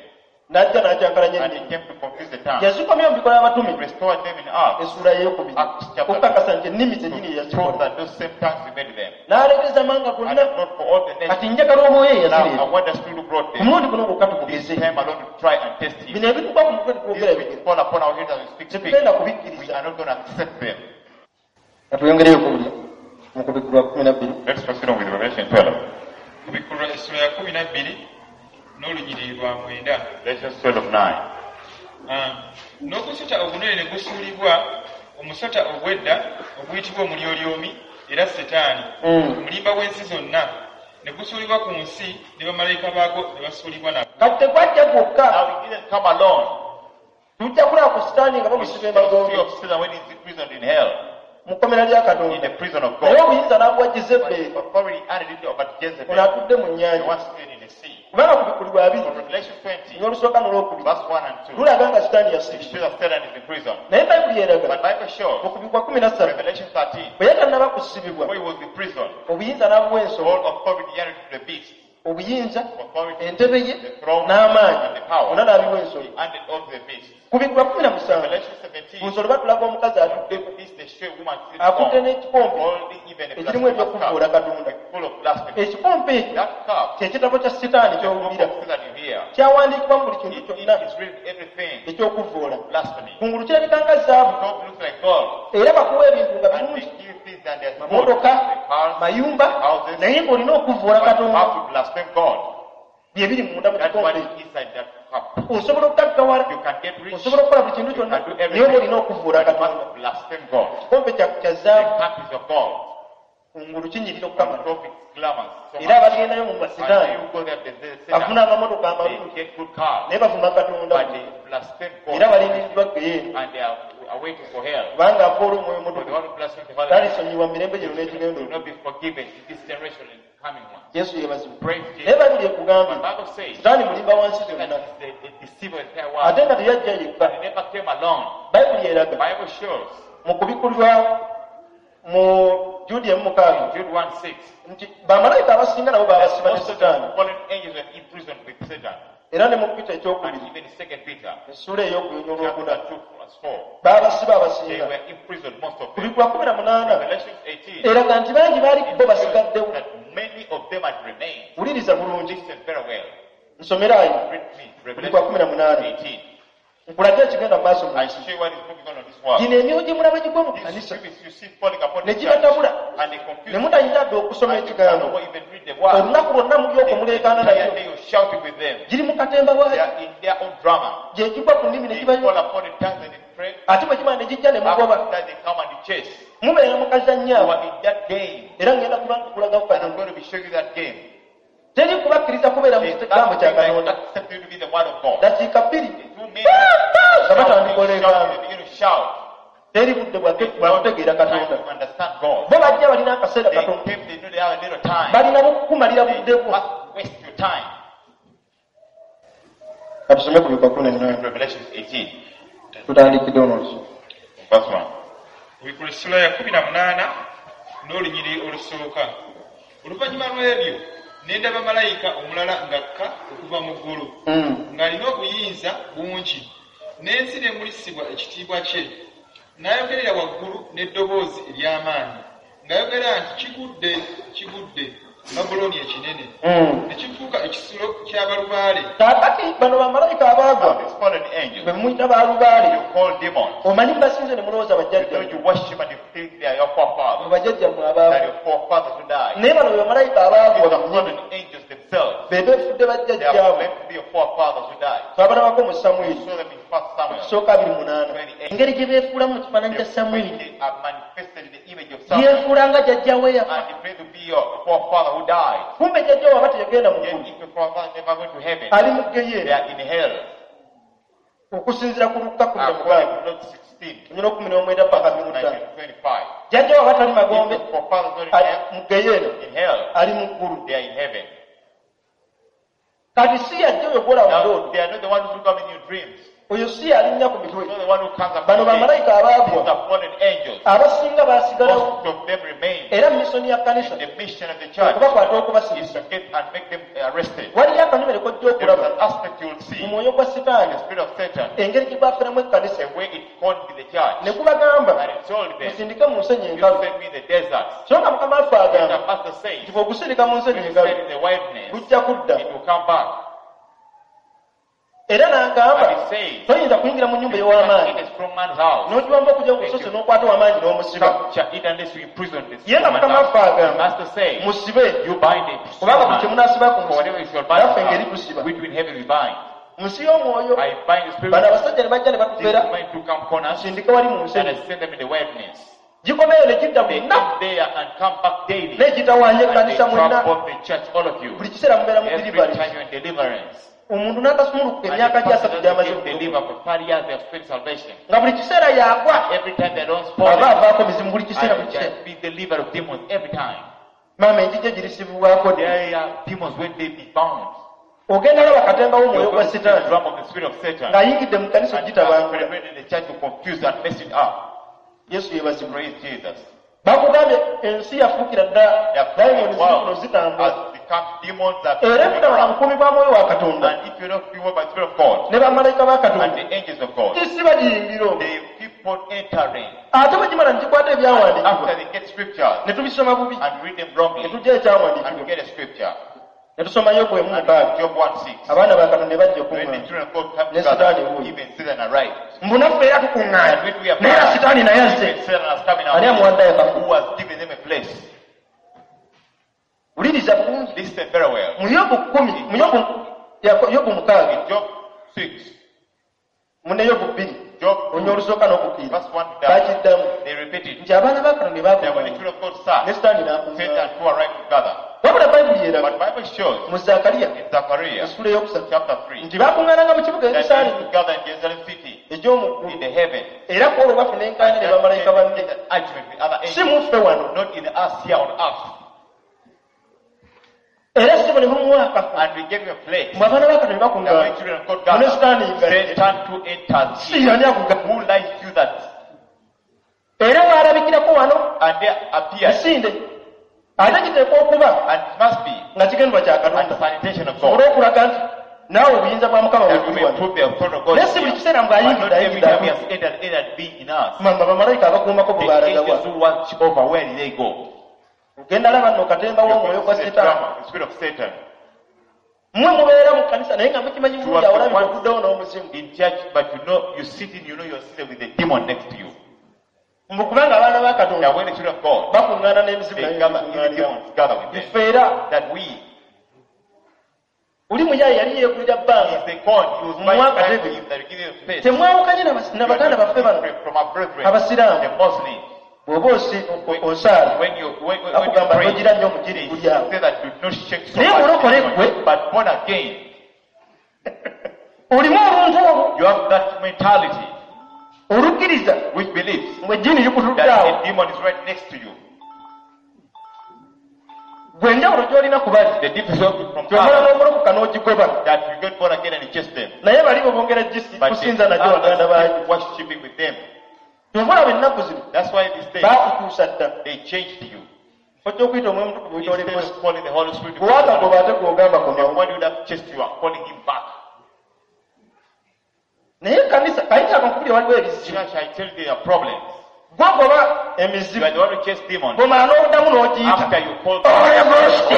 n'ajja n'akyankalanya and he ennimi, came to confuse the tongues. yazikomya mu Bikola Abatume Restored them in Acts, essuula ey'okubiri Acts chapter okukakasa nti ennimi zennyini to prove yazikola, that those same tongues he made them. n'aleeteza amawanga And gonna. not for all the Kati nations. njagala omwoyo Now, eyazireeta I want the spirit who brought ku them. mulundi guno gwokka This tugugeze. time alone to try and test him. Bino ebitugwa ku mutwe twogera This which bigere fall upon our heads as we speak, tetugenda we kubikkiriza. are not going to accept them. Katweyongereyo okuwulira. Mu Kubikkulwa 12. Let's proceed on with Revelation 12. Kubikkulwa essula ya 12 n'olunyiriri lwa 9. Revelation 12, 9. Ah, n'ogusota ogunene ne gusuulibwa, omusota ogw'edda oguyitibwa Omulyolyomi era Setaani, omulimba w'ensi zonna, ne gusuulibwa ku nsi, ne bamalayika baagwo ne basuulibwa nagwo. Kati tegwajja gwokka. Now he didn't come alone. Tujja kulaba ku Sitaani nga We bamusiba shall see emagombe of Satan when he's imprisoned in hell, mu kkomera lya in Katonda, the prison of naye God. obuyinza n'abuwa But Jezebbeeri, authority added it over ono Jezebel, atudde mu the nnyanja, one seated in the sea. kubanga Kubikkulirwa 20 From Revelation 20, n'olusooka n'olwokubiri verse 1 and 2, lulaga nga Sitaani it yasibibwa, shows that Satan is in prison. naye Bayibuli eraga But Bible shows, mu Kubikkulwa 13, Revelation 13, bwe yatannaba kusibibwa, before he was in prison, obuyinza n'abuwa ensolo, all authority added to the beast. Obuyinza, Authority, entebe ye the throne, n'amaanyi and the power. ona n'abiwa ensolo. He handed over the beast. Kubikkulwa 17, Revelation ku 17, nsolo batulaga omukazi atuddeko, this the show woman seated akutte on, n'ekikompe holding even a ekirimu blasphemous ebyokuvvoola cup, Katonda. full of blasphemy. Ekikompe ekyo That cup, kyekitabo kya Sitaani the book ky'owulira, of Satan you hear, kyawandiikibwa mu buli kintu it kyonna is written everything, ekyokuvvoola. blasphemy. Kungulu kirabika nga zaabu, Top looks like gold, era bakuwa ebintu nga and birungi, they give things and they're good, mamotoka, the cars, mayumba, houses, naye ng'olina okuvvoola but you Katonda. have to blaspheme God. Bye biri munda mu That's what kikompe is ekyo. inside that cup. Osobola okugaggawala, You can get rich, osobola okukola buli kintu you kyonna, can do naye oba everything, olina okuvvoola but you Katonda. must blaspheme God. Kikompe kya The zaabu, cup is of gold. kungulu kinyirira okukamala. Top is glamorous. So Era much. abagendayo mu And basitaani you go there, they bafuna amamotoka they amalungi, get good cars, naye bavuma Katonda, but they blaspheme God, era balindiriddwa geyeena, and they are awaiting for hell. kubanga avoola Omwoyo For the Omutukuvu one who blasphemes the Holy talisonyiwa mu mirembe gino Spirit n'ekigendo. will not be forgiven in this generation and coming one. Yesu yeebazibwe. Praise Naye Jesus. Bayibuli ekugambye But Bible says Sitaani mulimba wansi that zonna, is the deceiver of the entire world. ate nga teyajja yekka. He never came alone. Bayibuli eraga Bible shows mu Kubikkulirwa mu Juudi emu 6 in Jude 1 6 nti bamalayika abasinga nabo babasiba ne most of Sitaani, the fallen angels were imprisoned with Satan. era ne mu Pita And ekyokubiri even in 2 Peter essuula ey'okubiri n'olwokuna, chapter 2 verse 4, baabasiba they abasinga. were imprisoned, most of them. Kubikkulwa 18 Revelation 18 eraga nti bangi baali it bo shows basigaddewo. that many of them had remained. Wuliriza bulungi. Listen very well. Nsomerayo Read me. Kubikkulwa Revelation 18, 18. nkulage ekigenda mu maaso mu I nsi. show you what is moving on in this world. Gino emyoyo gye mulaba gigwa mu These kkanisa spirits you see falling upon ne the church, gibatabula, and they ne confuse you. mutayinza dde okusoma And you cannot ekigambo. even read the word. Olunaku lwonna muli okwo The muleekaana entire nabyo, day you're shouting with them. giri mu katemba They waakyo, are in their own drama. gye gigwa ku nnimi ne They fall gibayo, upon the tongues and they pray. ate bwe kimala ne gijja ne mugoba. After that, they come and they chase. Mubeera mu kazannyo You awo, are in that game. era ngenda kuba nkulagaku And I'm Katonda. going to be showing you that game. Teri kubakkiriza kubeera mu There's kigambo kya nothing like Katonda accept you to be the word of God. dakiika 2, 2 minutes, nga batandika shouting, oleekaana. shouting, they begin to shout. Teri budde bwakutegeera Time Katonda. to understand God. Bo bajja balina akaseera They katono, came, they know they have a little time. balina bukukumalira They budde bwo. must waste your time. Katusome ku Bikwa 18. Revelation 18, Tutandikidde ono olusu. verse 1. Kubikkulwa essula ya 18 n'olunyiriri olusooka. Oluvannyuma lw'ebyo ne ndaba malayika omulala ng'akka okuva mu ggulu, ng'alina obuyinza bungi, n'ensi n'emulisibwa ekitiibwa kye. N'ayogerera waggulu n'eddoboozi ery'amaanyi ng'ayogera nti, "Kigudde, kigudde, Babulooni ekinene, ne kifuuka ekisulo ky'abalubaale." Kaakati bano bamalayika abaagwa These fallen angels, be muyita balubaale, you call demons. omanyi mubasinze ne mulowooza You bajjajja know you worship and you think they are your mu forefathers, bajjajjammwe that abaagwa, your forefathers who died. naye bano be bamalayika These abaagwa are bennyini, fallen angels themselves. be beefudde They are bajjajjaabwe. meant to be your forefathers who died. Twabalabako mu You Samwiri saw them in 1 Samuel. kisooka 28, engeri gye beefuulamu mu kifaananyi kya They Samwiri, they are manifested in the image of Samuel. yeefuula nga jjajjawe yafa. And they pray to be your forefather who died. Kumbe jjajjawe aba teyagenda mu Yet ggulu, if your forefather never went to heaven, ali mu they geyeena are in hell. okusinziira ku Lukka 16 According to Luke 16, 19 paka 25. 19, 25. Jjajjawe aba tali If magombe, your forefathers not in ali hell, mu geyeena, in hell, ali mu ggulu. they are in heaven. Kati si yajja oyo gwolaba Now, ndooto, they are not the ones who come in your dreams. oyo si yalinnya ku mitwe. Not the one who comes up Bano with bamalayika These abaagwa are fallen angels. abasinga baasigalawo, Most of them remain. era misoni ya kkanisa The mission of the church okubakwata is okubasirisa. to get and make them arrested. Waliyo akanyomero kojja There is okulaba an aspect you will mu see, mwoyo gwa Sitaani, the spirit of Satan, engeri gye gwaferamu ekkanisa, the way it conned the church. ne gubagamba, And it told them, musindike mu nsenyi you enkalu. send me the desert. So nga Mukama waffe The agamba master says, nti bw'ogusindika mu nsenyi you enkalu, send in the wilderness, gujja kudda. it will come back. Era n'agamba, And he says, toyinza kuyingira mu nnyumba you can't ey'ow'amaanyi in a strong man's house n'ogiwamba okujja okusose n'okwata ow'amaanyi n'omusiba. Capture it unless you imprison the Ye nga strong Mukama man's waffe house. The agamba, master says, musibe, you bind it. kubanga buli kye munaasiba ku For nsi, whatever you shall bind naffe on ngeri earth, tusiba. which in heaven we bind. Mu nsi y'omwoyo, I bind the spirit. bano abasajja ne bajja ne These batufera, men to come corners sindika wali mu nsi and I send them in the wilderness. Gikomeyo ne gidda They bonna come there and come back daily. n'egitawaanya And they ekkanisa mwenna. trouble the church, all of you. Buli kiseera mubeera mu Every deliverance. time you're in deliverance. Omuntu n'atasumulukuka And emyaka the gy'asatu person gy'amaze doesn't get delivered for 30 years, they have spent salvation. nga buli kiseera yagwa Every time they don't aba spoil it, avaako mizimu buli kiseera buli and kiseera. they be delivered of demons every time. Maama enjija girisibwako ddi? There are demons when they be bound. Ogenda laba katemba w'omwoyo You're gwa going to see the sitaani drum of the spirit of Satan. ng'ayingidde mu kkanisa And ogitabangula. penetrated the church to confuse and mess it up. Yesu yeebazibwe. Praise Jesus. Bakugambye ensi yafuukira ddala The dayimooni world zino zitambula. has become demons that Era are butaba na around. bukuumi bwa mwoyo wa Katonda And if you're not fueled by the Spirit of God ne bamalayika ba and Katonda, the angels of God, kisi bagiyingira omwo. they keep on entering. Ate bwe gimala ne gikwata ebyawandiikibwa After they get scriptures ne tubisoma bubi and read them ne wrongly, tujja and we ekyawandiikibwa get a scripture. ne tusoma Yobu emu And mukaaga Job 1:6. abaana ba Katonda ne bajja When the okuŋŋaana children of God come Ne together, Sitaani wuuyo. even Satan arrived. Mbu naffe era tukuŋŋaana And when we are naye era Sitaani naye azze. even Satan has come in Ani our amuwadde midst, akafo? who has given them a place. Wuliriza bulungi. Listen very well. Mu Yobu 10, mu Yobu 6, In Job 6, mu ne Yobu 2, Job onya olusooka n'okukkiriza verse 1 to bakiddamu they repeat it. nti abaana ba Katonda ne That when the bakuŋŋaana children of God sat, ne Sitaani n'akuŋŋaana. Satan too arrived together. Wabula Bayibuli eraga But Bible shows mu Zakariya in Zechariah essula ey'okusatu chapter 3 nti bakuŋŋaananga mu kibuga that they Yerusaalemi used to gather in Jerusalem city egy'omu ggulu in the heaven. era ku olwo bafuna enkaanya ne And bamalayika that banne they get an argument with other si angels, muffe wano not in us here on earth. era si bwe ne mumuwa akafo And we gave him a place. mwe abaana ba Katonda ne That when bakuŋŋaana children of God mu ne gather, Sitaani nga Satan too enters. si ani akuga Who lies to you that? era waalabikirako wano And there appeared, misinde ate kiteekwa okuba and it must be, nga kigendwa kya and Katonda the sanitation of sobole God. okulaga nti naawe obuyinza bwa Mukama That we bwebuli may wano prove the authority of God. naye si buli kiseera But not mbw'ayingidde every ayingidde time he has entered, entered being in us. mamba bamalayika abakuumako bwe The baalagawa angels who watch over, where did they go? ogenda laba nno katemba You're w'omwoyo going gwa to see the Sitaani drama, the spirit of Satan. mmwe mubeera mu kkanisa naye nga mukimanyi You bulungi are awo the olabika ones okuddawo n'omuzimu in church, but you know, you sit in, you know you're sitting with a demon next to you. mbu kubanga abaana ba That Katonda when the children of God, bakuŋŋaana n'emizimu they naye gather, even bikuŋŋaaniramu demons gather with them. ffe era That we, oli muyaye yali yeegulira bbanga is the corn, he was buying Mwaka time for David. him, that we give him space. Temwawukanye na baganda baffe bano Different from our brethren, Abasiraamu. the Muslims. Bw'oba osaala When you bakugamba pray, togira nnyo omugiri they guli awo say that do not shake so Naye mulokole much, ggwe. but born again, olimu oluntu olwo you have that mentality olukkiriza which believes mwe ejjiini likutudde that awo a demon is right next to you. gwe enjawulo gy'olina ku bali The difference from kyomala others n'omulokoka n'ogigoba that you get born again and you chase them. naye bali bo bongera But kusinza the nagyo baganda others baayo keep worshiping with them. kyova olaba ennaku zino That's why this day baakukyusa dda they changed you. ojja okuyita omwoyo omutukuvu Instead oyita of calling the Holy Spirit, gwe waakagoba ate gw'ogamba the komawo one who would have chased you are calling him back. naye ekkanisa kayita akankubiri waliwo ebizibu Church, I tell you there are problems. gwogoba You emizimu are the one who chased demons. bw'omala n'oddamu n'ogiyita After you call Holy Ghost,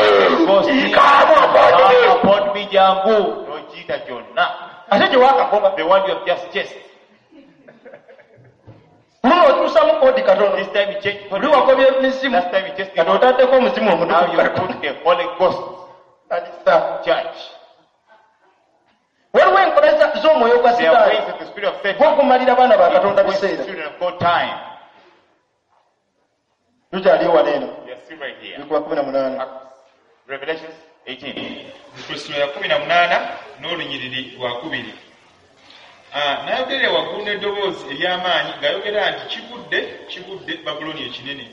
Ghost, come upon me. come upon me, jangu. N'ogiyita gyonna. Ate gye waakagoba The one you have just chased. luno okyusamu koodi katono This time you changed. oli wagobye emizimu Last time you chased kati demons. otaddeko omuzimu Now omutukuvu you put the Holy Ghost Kanisa. church. Waliwo enkola z'omwoyo gwa There are Sitaani ways of the spirit of Satan. gw'okumalira abaana ba Katonda It wastes biseera children of God time. tukyaliyo wano eno We are still right here. bikuba 18 Acts, Revelations 18. Essula ya 18 n'olunyiriri lwa 2. N'ayogerera waggulu n'eddoboozi ery'amaanyi ng'ayogera nti kigudde kigudde Babulooni ekinene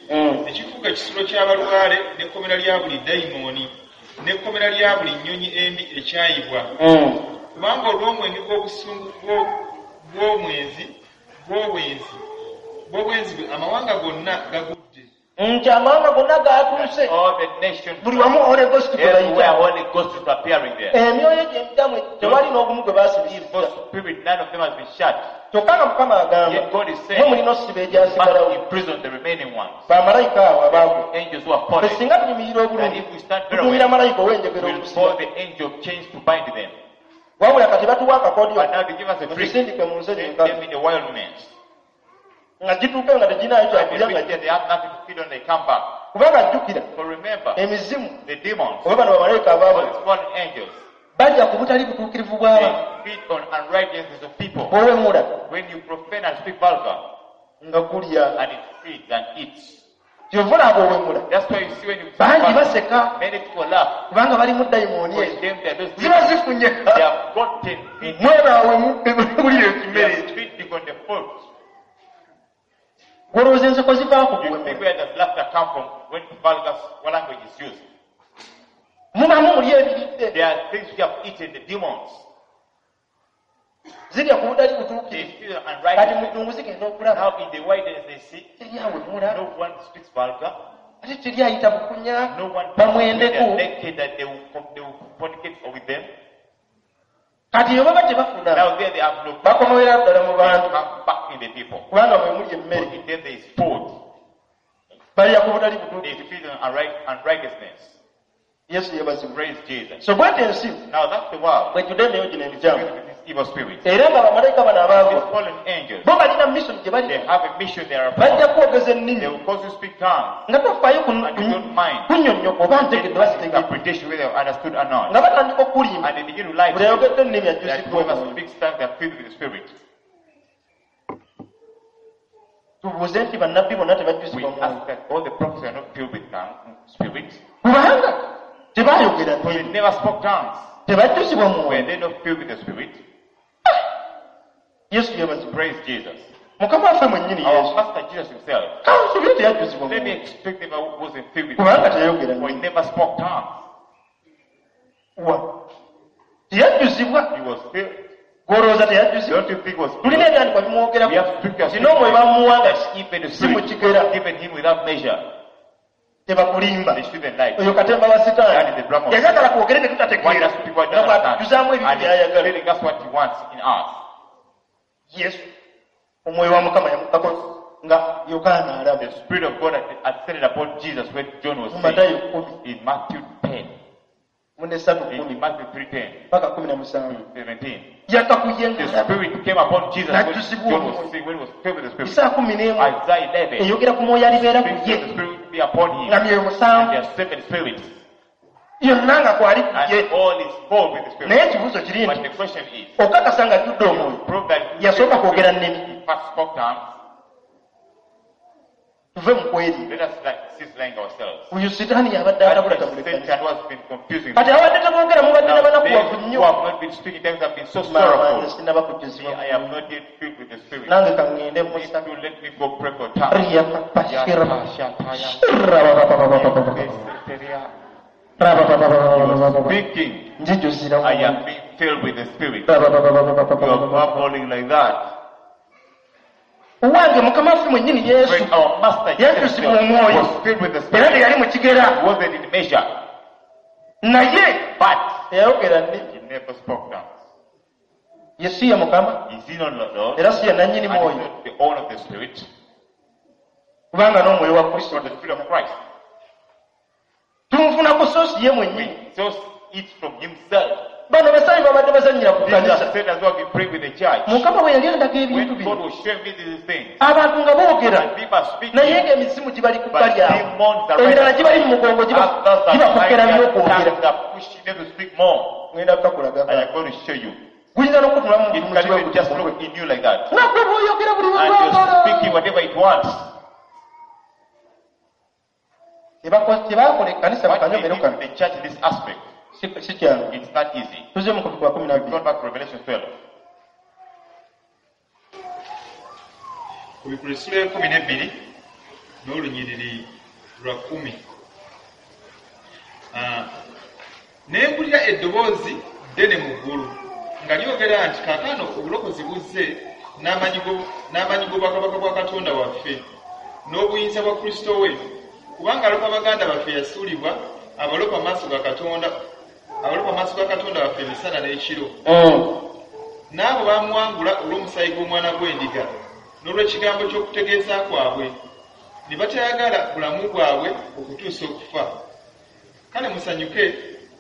ekifuuka ekisulo ky'abalubaale n'ekkomera lya buli dayimooni n'ekkomera lya buli nnyonyi embi ekyayibwa kubanga olw'omwenge gw'obusungu bw'obwenzi bwe amawanga gonna gagudde nti amawanga gonna gatuuse All the nations, buli wamu Holy Ghost gwe everywhere bayita Holy Ghost is appearing there. emyoyo gy'emitamu tewali n'ogumu gwe baasibisizza Evil spirit, none of them has been shut. kyokka nga Mukama agamba Yet God is mwe saying, mulina osiba must egyasigalawo imprison the remaining ones. bamalayika abo abaagwe Angels who are ffe fallen. singa tuyimirira That obulungi if we stand very tutumira well, malayika ow'enjegere we'll okusiba call the angel of chains to bind them. Wabula kati batuwa akakodyo But now they give us a trick. mutusindike mu nsozi Send enkalu them in the wilderness. nga gituuke nga teginaayo And they kyakulya nga reach there, they have nothing to feed on, they come back. Kubanga jjukira So remember, emizimu the demons, oba bano bamalayika all abaabwe these fallen angels, bajja ku butali butuukirivu bw'abantu. they feed on unrighteousness of people. Bw'owemula When you profane and speak vulgar, nga gulya and it feeds and eats. Kyova olaba owemula That's why you see when you speak bangi vulgar, baseka many people laugh. kubanga balimu dayimooni For ezo them, they are those ziba demons. zifunye They have gotten feed. mwebaawemu bulira They ekimere are ekyo. feeding on the fruit. Gwolowooza enseko zivaako You think kuwemula where does laughter come from when vulgar language is used? Mubamu muli ebiridde There are things we have eaten, the demons. Zirya ku butali They butuukirivu feed on kati mu unrighteousness. ddungu zigenda okulaba Now in the wilderness they see teri awemula no one speaks vulgar, ate teri ayita bukunya no one when they bamwendeko are naked that they will fornicate with them. Kati bwe baba tebafuna Now there they have no bakomowera ddala mu they bantu come back in the people. Kubanga mwe muli For emmere in them there is food. Balya ku butali They butuukirivu feed on unrighteousness. Yesu yebazibwe Praise Jesus. So bwete ensi Now that's the world bwejjudde emyoyo gino emikyamu filled with these evil spirits. Era nga bamalayika bano These abaagwa fallen angels, bo balina mission gye they bali have a mission they are upon. Bajja kwogeza They ennimi will cause you to speak tongues nga tofaayo and you don't mind. kunnyonnyoka oba ntegedde bazitegedde Interpretation whether you understood or not. Nga batandika okulimba And they begin to lie buli to you ayogedde ennimi that ajjuziddwa whoever omwoyo speaks tongues they are filled with the Spirit. Tubuuze nti bannabbi bonna We tebajjuzibwa mwoyo ask that all the prophets are not filled with tongues, Spirit. Kubanga tebaayogera For they nnimi never spoke tongues. Tebajjuzibwa Were mwoyo they not filled with the Spirit? Yesu yebazibwe Praise Jesus. Mukama waffe mwennyini Our Yesu Master Jesus himself. Kansubire teyajjuzibwa Let me mwoyo expect never wasn't filled with the kubanga Spirit. teyayogera For he nnimi never spoke tongues. Wa teyajjuzibwa He was filled. Gwolowooza teyajjuzibwa Don't you think he was filled? Tulina ebyandikwa We bimwogerako have scriptures kino omwoyo bamuwanga that even the si mu Spirit kigera given him without measure. Tebakulimba They shouldn't lie. Oyo katemba wa That is sitaani the drama of yayagala kwogere Why tetutategeera does people nga don't understand? bwatujjuzaamu ebintu And he's byayagala telling us what he wants in us. Yesu omwoyo wa Mukama yamukako nga Yokaana alaba The Spirit of God had ascended upon Jesus when John was mu saying Matayo 10 in Matthew 10, mu nesatu in 10 Matthew 3:10 paka 17 to 17. Yakka ku ye The ng'alaba Spirit came upon Jesus when N'ajjuzibwa John was omwoyo. saying, when he was filled with the Spirit. Isaa 11 Isaiah 11 eyogera ku mwoyo alibeera ku speaks ye that the Spirit will be upon him. Nga myoyo And musanvu there are seven spirits. Yonna nga kwali ku ye And all is full with the Spirit. Naye ekibuuzo kiri But nti the question is, okakasa nga ajjudde omwoyo prove that he yasooka kwogera nnimi he first spoke tongues. Tuve mu kweri Let us cease lying ourselves. Oyo sitaani yabadde That is atabulatabula ekkanisa Satan who has been confusing. Kati abadde teboogera mubadde Now, nabanakuwavu they who nnyo have not been speaking tongues have been so Maama sorrowful. nze sinnaba Me, kujjuzibwa I am not yet filled with the Spirit. nange kaŋŋende Please musa do let me go pray for tongues. Riya papa shira Speaking, Njijjuzira I am being filled with the Spirit. You are babbling like that. Owange mukama waffe mwennyini Yesu When our Master Jesus yajjuzibwa omwoyo was filled with the era Spirit, teyali mu kigera wasn't in measure, naye but teyayogera nnimi he never spoke tongues. Ye si ye mukama Is he not Lord? Era si ye nannyini And is mwoyo not the owner of the Spirit? Kubanga n'omwoyo wa Kristo Or the Spirit of Christ? tumufunako sosi ye mwennyini We just eat from himself. Bano basayi babadde bazannyira ku These are kanisa said as well we pray with the church. Mukama bwe yali andaga ebintu When bino God was showing me these things, abantu nga boogera and people are speaking, naye ng'emizimu gibali ku but bbali awo demons are emirala right gibali mu mugongo others are gibakokera behind their by'okwogera tongues are pushing them to speak more. Ngenda kukakulagako And I'm going to show you. Guyinza n'okutulamu It can even just look in you like that. Nagwe bw'oyogera buli And you're lwagala speaking whatever it wants. Tebakola ekkanisa What we mukanyomero did kano in the church in this aspect, si kyangu it's not easy. Tuze mu kubikwa 12 Go back to Revelation 12. Ku bikulu essula 12 n'olunyiriri lwa 10. Ah, ne mpulira eddoboozi ddene mu ggulu nga lyogera nti kaakano obulokozi buzze n'amaanyi g'obwakabaka bwa Katonda waffe n'obuyinza bwa Kristo we kubanga alopa baganda baffe yasuulibwa abalopa maaso ga Katonda abalopa maaso ga Katonda waffe emisana n'ekiro. N'abo baamuwangula olw'omusaayi gw'omwana gw'endiga n'olw'ekigambo ky'okutegeeza kwabwe ne batayagala bulamu bwabwe okutuusa okufa. Kale musanyuke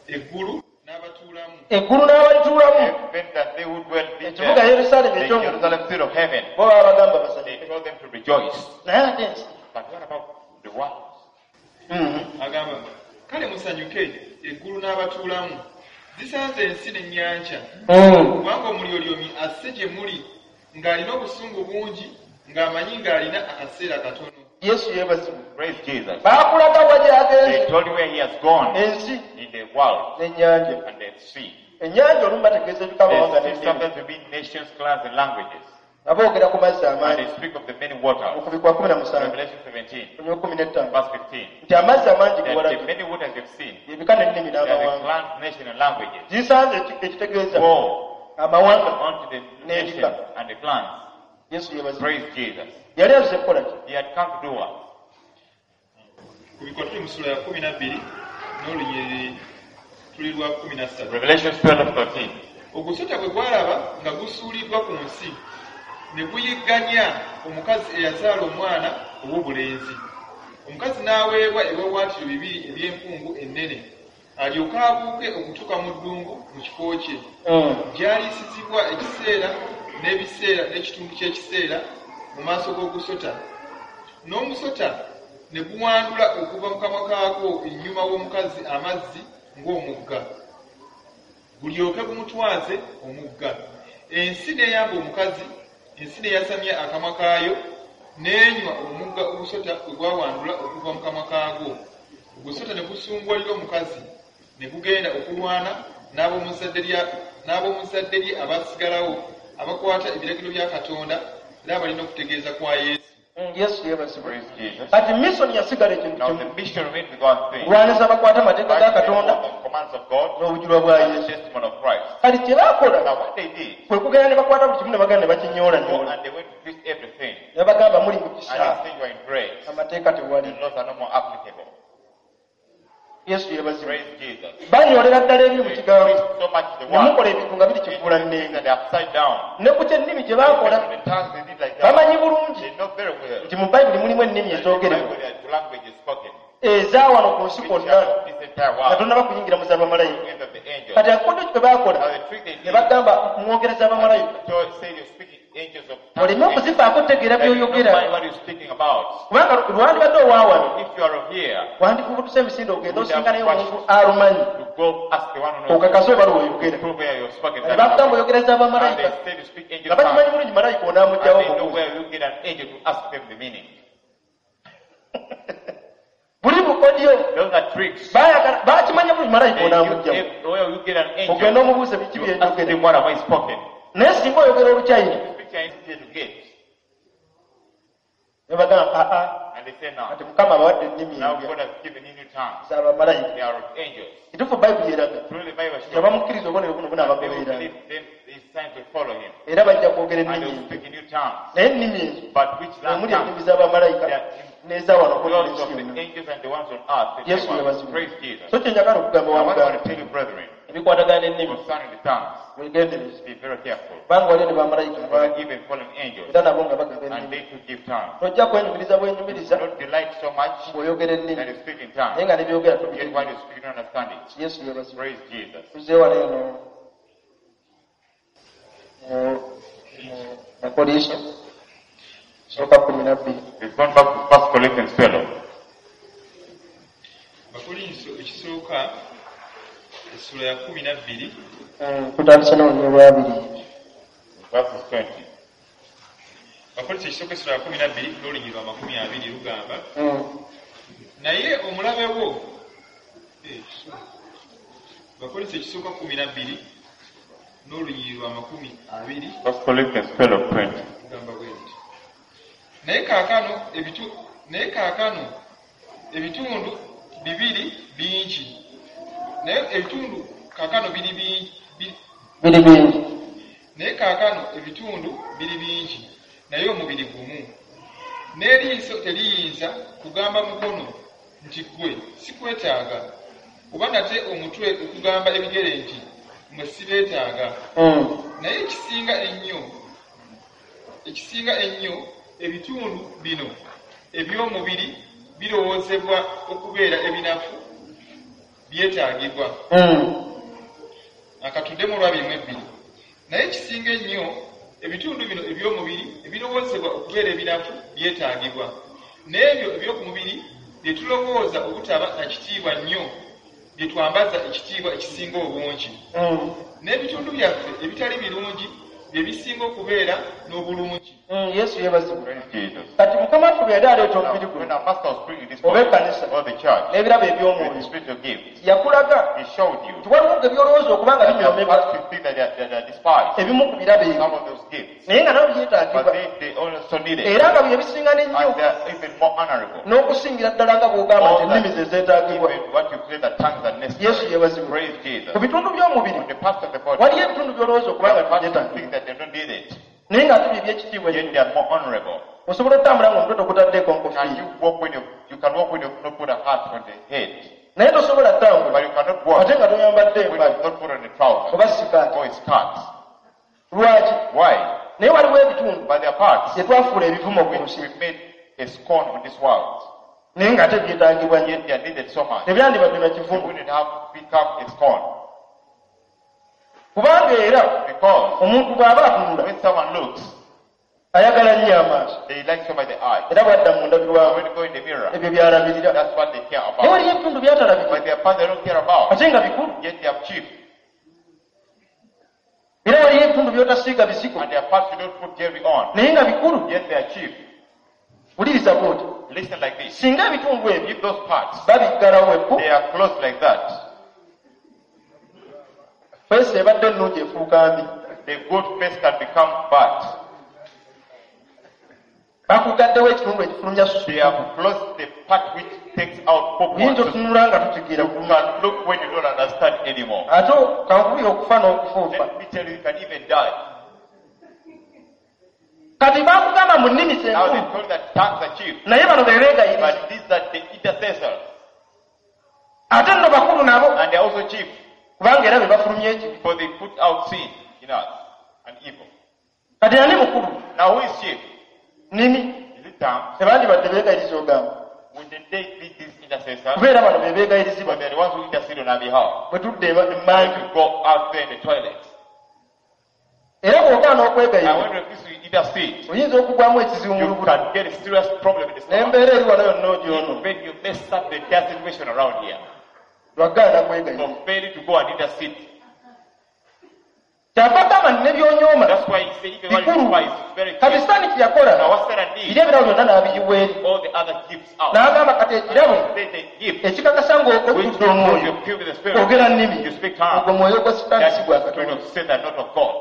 eggulu n'abatuula. n'abatuulamu. Eggulu n'abalituulamu. Heaven that they would dwell in Ekibuga there. Yerusaalemi The eky'omu Jerusalem city of heaven. bo babagamba They basanyuke. told them to rejoice. Naye ate ensi. But what about the world? Agamba, kale musanyuke eggulu n'abatuulamu. Zisanze ensi n'ennyanja. Kubanga Omulyolyomi asse gye muli ng'alina obusungu bungi, ng'amanyi ng'alina akaseera katono. Yesu yeebazibwe. Praise Jesus. Baakulaga wa They gy'agenze. told you where he has gone Ensi in the world n'ennyanja. and the sea. Ennyanja olumu bategeeza ebika amawanga The sea n'ennimi. sometimes will be nations, clans, and languages. Nga boogera ku mazzi And amangi. they speak of the many waters. Okubikwa 17. Revelation 17, Olunyiriri 15. verse 15. Nti amazzi amangi ge That the walabye many waters you've seen, ebika n'ennimi they are the n'amawanga. clans, nations, and languages. Zisanze ekitegeeza Go amawanga. onto the nations and the clans. Yesu yeebazibwe. Praise Jesus. Yali azze kukola ki? He had come to do what? Kubikwa tuli mu ssuula ya 12 n'olunyiriri tuli lwa 13. Revelation 12, 13. Ogusota bwe gwalaba nga gusuuliddwa ku nsi, ne guyigganya omukazi eyazaala omwana ow'obulenzi. Omukazi n'aweebwa ebiwaawaatiro bibiri eby'empungu ennene, alyoke abuuke okutuuka mu ddungu mu kifo kye, gy'aliisizibwa ekiseera n'ebiseera n'ekitundu ky'ekiseera mu maaso g'ogusota. N'omusota ne guwandula okuva mu kamwa kaagwo ennyuma w'omukazi amazzi ng'omugga, gulyoke gumutwaze omugga. Ensi n'eyamba omukazi, ensi n'eyasamya akamwa kaayo, n'enywa omugga ogusota gwe gwawandula okuva mu kamwa kaagwo. Ogusota ne gusunguwalira omukazi, ne gugenda okulwana n'ab'omu zzadde lye abaasigalawo, abakwata ebiragiro bya Katonda era abalina okutegeeza kwa Yesu. Yesu yeebazibwe. Praise Jesus. Kati mission yasigala ekintu Now kimu. the mission remains with one thing. Kulwanyisa abakwata amateeka ga Katonda The commands of God n'obujulwa bwa and the Yesu. testimony of Christ. Kati kye baakola Now what they did, kwe kugenda ne bakwata buli kimu ne bagenda ne go bakinyoolanyoola. and they went to twist everything. Ne bagamba muli mu And kisa. they say you are in grace. Amateeka The tewali. laws are no more applicable. Yesu yeebazibwe. Praise Jesus. Banyoolera ddala ebiri mu They kigambo. twist so much the Ne word. mukola ebintu nga biri Things kifuulannenge. that are upside down. Ne ku ky'ennimi gye baakola The tongues they did like that. bamanyi bulungi They know very well. nti mu Bayibuli mulimu ennimi That the ezoogerebwa Bible, the language is spoken. eza wano ku nsi Which kwonna are this entire nga world. tonnaba kuyingira mu z'abamalayika. End of the angels. Kati akakodyo kye baakola Now the trick they ne did, bagamba mwogereza bamalayika. so say you're speaking angels of Oleme okuzifaako otegeera that you don't by'oyogera. mind what you're speaking about. Kubanga lwandibadde owawano If you are here, wandifubutuse emisinde ogenda osinga naye omuntu alumanyi you go ask the one who knows. okakase oba lw'oyogera. Prove where you're spoken. Ne bagamba oyogereza And bamalayika they say you speak angel nga bakimanyi tongues. bulungi malayika And onaamuggyawo they know omubuuza. where you get an angel to ask them the meaning. Buli bukodyo Those are tricks. baayagala bakimanya bulungi malayika They knew onaamuggyawo. where you get an angel Ogenda omubuuze biki to ask byenjogera. them what have I spoken. Naye singa oyogera Oluchayina Speak Chinese here to get. ne bagamba aa And they say now, kati Mukama abawadde ennimi now empya God has given you new tongues. z'abamalayika. They are of angels. Kituufu Bayibuli eraga Truly the Bible nti shows abamukkiriza obubonero buno they will bunaabagobereranga believe them, these signs will follow him. era bajja kwogera And they ennimi will empya. speak in new tongues. Naye ennimi ezo But which omuli tongue? ennimi z'abamalayika n'eza wano Those ku of nsi the yonna. angels and the ones on earth. They Yesu say one. yeebazibwe. Praise Jesus. So kye njagala okugamba Now what I want wa to tell you, brethren, ebikwatagana n'ennimi concerning the tongues, weegendereze be very careful. kubanga waliyo ne bamalayika For abangi even fallen angels, era nabo nga bagaba and ennimi. they too give tongues. Tojja kwenyumiriza bwenyumiriza Don't delight so much ng'oyogera ennimi that you speak in naye tongues. nga ne byogera Yet tobitegeera. while you speak, you don't understand it. Yesu yeebazibwe. Praise Jesus. Tuzze wano eno mu Bakolinso sooka 12. We've gone back to 1 Corinthians 12. Bakolinso ekisooka essula ya 12 Tutandise n'olunyiriri lwabiri. Verses 20. Bakolinso ekisooka essula ya 12 n'olunyiriri lwa 20 lugamba naye omulabe wo Bakolinso ekisooka 12 n'olunyiriri lwa 20 1 Corinthians 12, 20. lugamba bwe luti naye kaakano ebitundu bibiri bingi naye ebitundu kaakano biri bingi Biri bingi. naye kaakano ebitundu biri bingi naye omubiri gumu. N'eriiso teriyinza kugamba mukono nti ggwe sikwetaaga, oba nate omutwe okugamba ebigere nti mmwe sibeetaaga. Naye ekisinga ennyo ebitundu bino eby'omubiri birowoozebwa okubeera ebinafu byetaagibwa. Akatuddemu olwa 22. Naye ekisinga ennyo, ebitundu bino eby'omubiri ebirowoozebwa okubeera ebinafu byetaagibwa, n'ebyo eby'oku mubiri bye tulowooza obutaba na kitiibwa nnyo bye twambaza ekitiibwa ekisinga obungi, n'ebitundu byaffe ebitali birungi bye bisinga okubeera n'obulungi. Yesu yeebazibwe. Praise Jesus. Kati Mukama waffe bwe yali aleeta Now, omubiri guno when our master was bringing this oba body, ekkanisa or the church, n'ebirabo with the eby'omwoyo, spiritual gifts, yakulaga he showed you nti waliwo ge by'olowooza okuba nga that there are binyoomebwa, parts you think that they are despised, ebimu ku birabo ebyo, some of those gifts, naye nga nabyo but byetaagibwa, they also need it, era nga bye bisinga n'ennyo and they are even more honorable. N'okusingira ddala nga bw'ogamba nti All that, ennimi ze zeetaagibwa. even what you say that tongues are Yesu necessary. yeebazibwe. Praise Jesus. Ku bitundu by'omubiri, On the parts of the body, waliyo ebitundu by'olowooza okuba there nga are parts you tebyetaagibwa, think that they don't need it, naye ng'ate bye by'ekitiibwa yet ennyo. they are more honorable. Osobola otambula ng'omutwe togutaddeeko Can nkofiira, you walk when you can walk when you've not put a hat on the head, naye tosobola ttambula but you cannot walk ate nga toyambadde when empale you've not put on a trouser oba sikaati. or a skirt. Lwaki? Why? Naye waliwo ebitundu But there are parts bye twafuula ebivumo ku which nsi, we made a scorn on this world, naye ng'ate byetaagibwa nnyo. yet they are needed so much. Tebyandibadde na They kivumo, wouldn't have become a scorn. kubanga era Because omuntu bw'aba atunula, when someone looks, ayagala nnyo amaaso, they like so much the eye. era bw'adda mu ndabirwamu, When you go in the mirror, ebyo by'alabirira. that's what they care Naye about. waliyo ebitundu byatalabika, But there are parts they don't care about, ate nga bikulu. yet they are cheap. Era waliyo ebitundu by'otasiiga bizigo, And there are parts you don't put jewelry on, naye nga bikulu. yet they are cheap. Wuliriza bw'oti, Listen like this. singa ebitundu ebyo If those parts, babiggalawo eppu, they are closed like that, face ebadde ennungi efuuka mbi. The good face can become bad. Bakugaddewo ekitundu ekifulumya susu. They have closed the part which takes out Oyinza purpose. otunula nga tutegeera You bulungi. can look when you don't understand anymore. Ate kankubira okufa n'okufuufa. Let me tell you, you can even die. Kati bakugamba mu nnimi Now they zenkulu, told that tongues are cheap, naye bano be beegayiriza, but these are the intercessors, ate nno bakulu nabo, and they are also cheap, kubanga era be bafulumya ekibi. for they put out sin in us and evil. Kati ani mukulu? Now who is chief? Nnimi. Is it tongues? Tebandibadde beegayiriza ogamba, Wouldn't they be these intercessors? kubeera bano be beegayirizibwa But they're the ones who intercede on our behalf. bwe tudda emmanju. When we go out there in the toilet, Era bw'ogaana and okwegayirira, when we refuse to intercede, oyinza okugwamu ekizibu mu you lubuto, can get a serious problem in the stomach. n'embeera eri wano yonna ogyono When you mess up the entire situation around here, lwagaana kwegayirira. for failing to go and intercede. Kyava agamba nti ne by'onyooma That's why he said, even what you bikulu. despise is very Kati cheap. Sitaani kye yakola, Now what Satan biri did, ebirabo byonna n'abiyiwa eri, all the other gifts out. n'agamba kati ekirabo Say the gift ekikakasa which ng'okujjudde you omwoyo, filled with the Spirit, ogera nnimi, you speak tongues. ogwo mwoyo gwa Sitaani, That's si gwa the spirit Katonda. of Satan, not of God.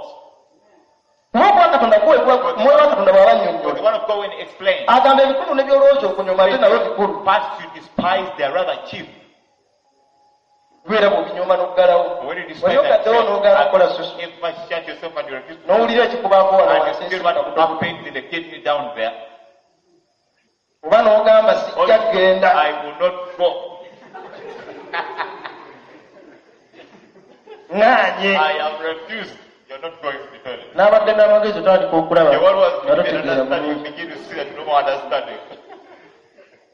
Kuba ogwa Katonda guweebwa omwoyo wa Katonda bw'aba But the annyonnyola, one of God when he explains, agamba ebikulu ne by'olowooza okunyoma ate nabyo bikulu, parts you despise, they are rather cheap. kubeera bw'obinyoma n'oggalawo. But when you despise Wali that, ogaddewo n'ogaana okukola susu, if I shut yourself and you refuse to n'owulira ekikubaako wano and wansi you feel what ensika, happens in the kidney down there, oba n'ogamba or sijja you say, kgenda. I will not go. Ŋŋaanye. I am refused. You're not going to the toilet. N'abadde n'amagezi otandika okulaba The one was nga you totegeera understand, you bulungi. begin to see that you no more understanding.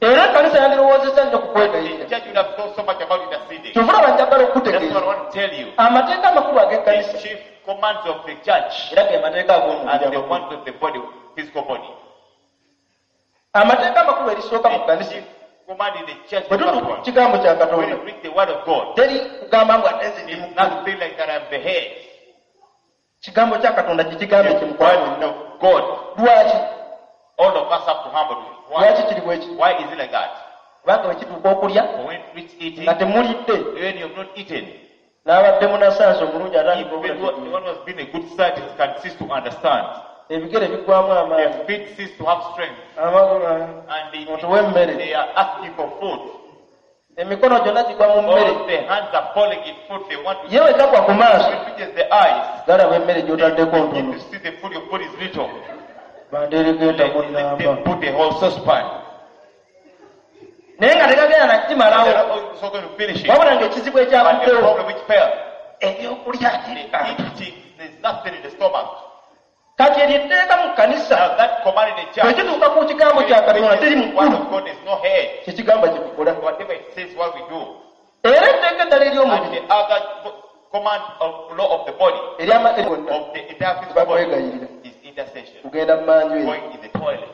Era ekkanisa yandirowoozezza nnyo ku The kwegayirira. church would have thought so much about interceding. Kyova olaba njagala That's what okukutegeeza, I want to tell you. amateeka amakulu ag'ekkanisa The chief commands of the church era ge mateeka and ag'omubiri the amakulu. ones of the body, physical body. Amateeka amakulu erisooka mu The kkanisa, chief command in the church, bwe the first tutuuka ku one. kigambo kya When Katonda, you read the word of God, teri kugamba mbu ate nze ndi it's mukulu. nothing like that I'm the head. Kigambo kya Katonda kikigambo The ekimukwano. word of God. Lwaki? All of us have to humble to it. Why? Lwaki kiri bwe kiti? Why is it like that? Kubanga bwe kituuka okulya For when it reach eating, nga temulidde, when you have not eaten, n'abadde munasansi omulungi atandika even the obulategeera. one who has been a good scientist can cease to understand. Ebigere biggwamu amaanyi, The feet cease to have strength. amagulu And otuwa emmere, they are asking for food. Emikono gyonna gigwa mu mmere. All the hands are falling in food. They want to Ye bwe gagwa ku maaso, When it reaches the eyes, galaba emmere gy'otaddeko they ntono, begin to see the food you put is little. bandeeregeeta They, mu they nnamba, put the whole saucepan. naye nga tegagenda They're nakimalawo, not also going to finish it. wabula ng'ekizibu But the ekyavuddewo, problem which failed, ebyokulya the eating, there's nothing in the stomach. Kati eryo etteeka mu kkanisa, Now that command in the bwe church, kituuka ku kigambo kya Katonda, teri when the word mukulu, of God, there's no head. kyekigamba kye tukola. Whatever it says, what we do. Era etteeka eddala And ery'omubiri, the other command of law of the body, eri amateeka gonna of the entire physical body, bakwegayirira is intercession. kugenda mu manju eyo Going in the toilet.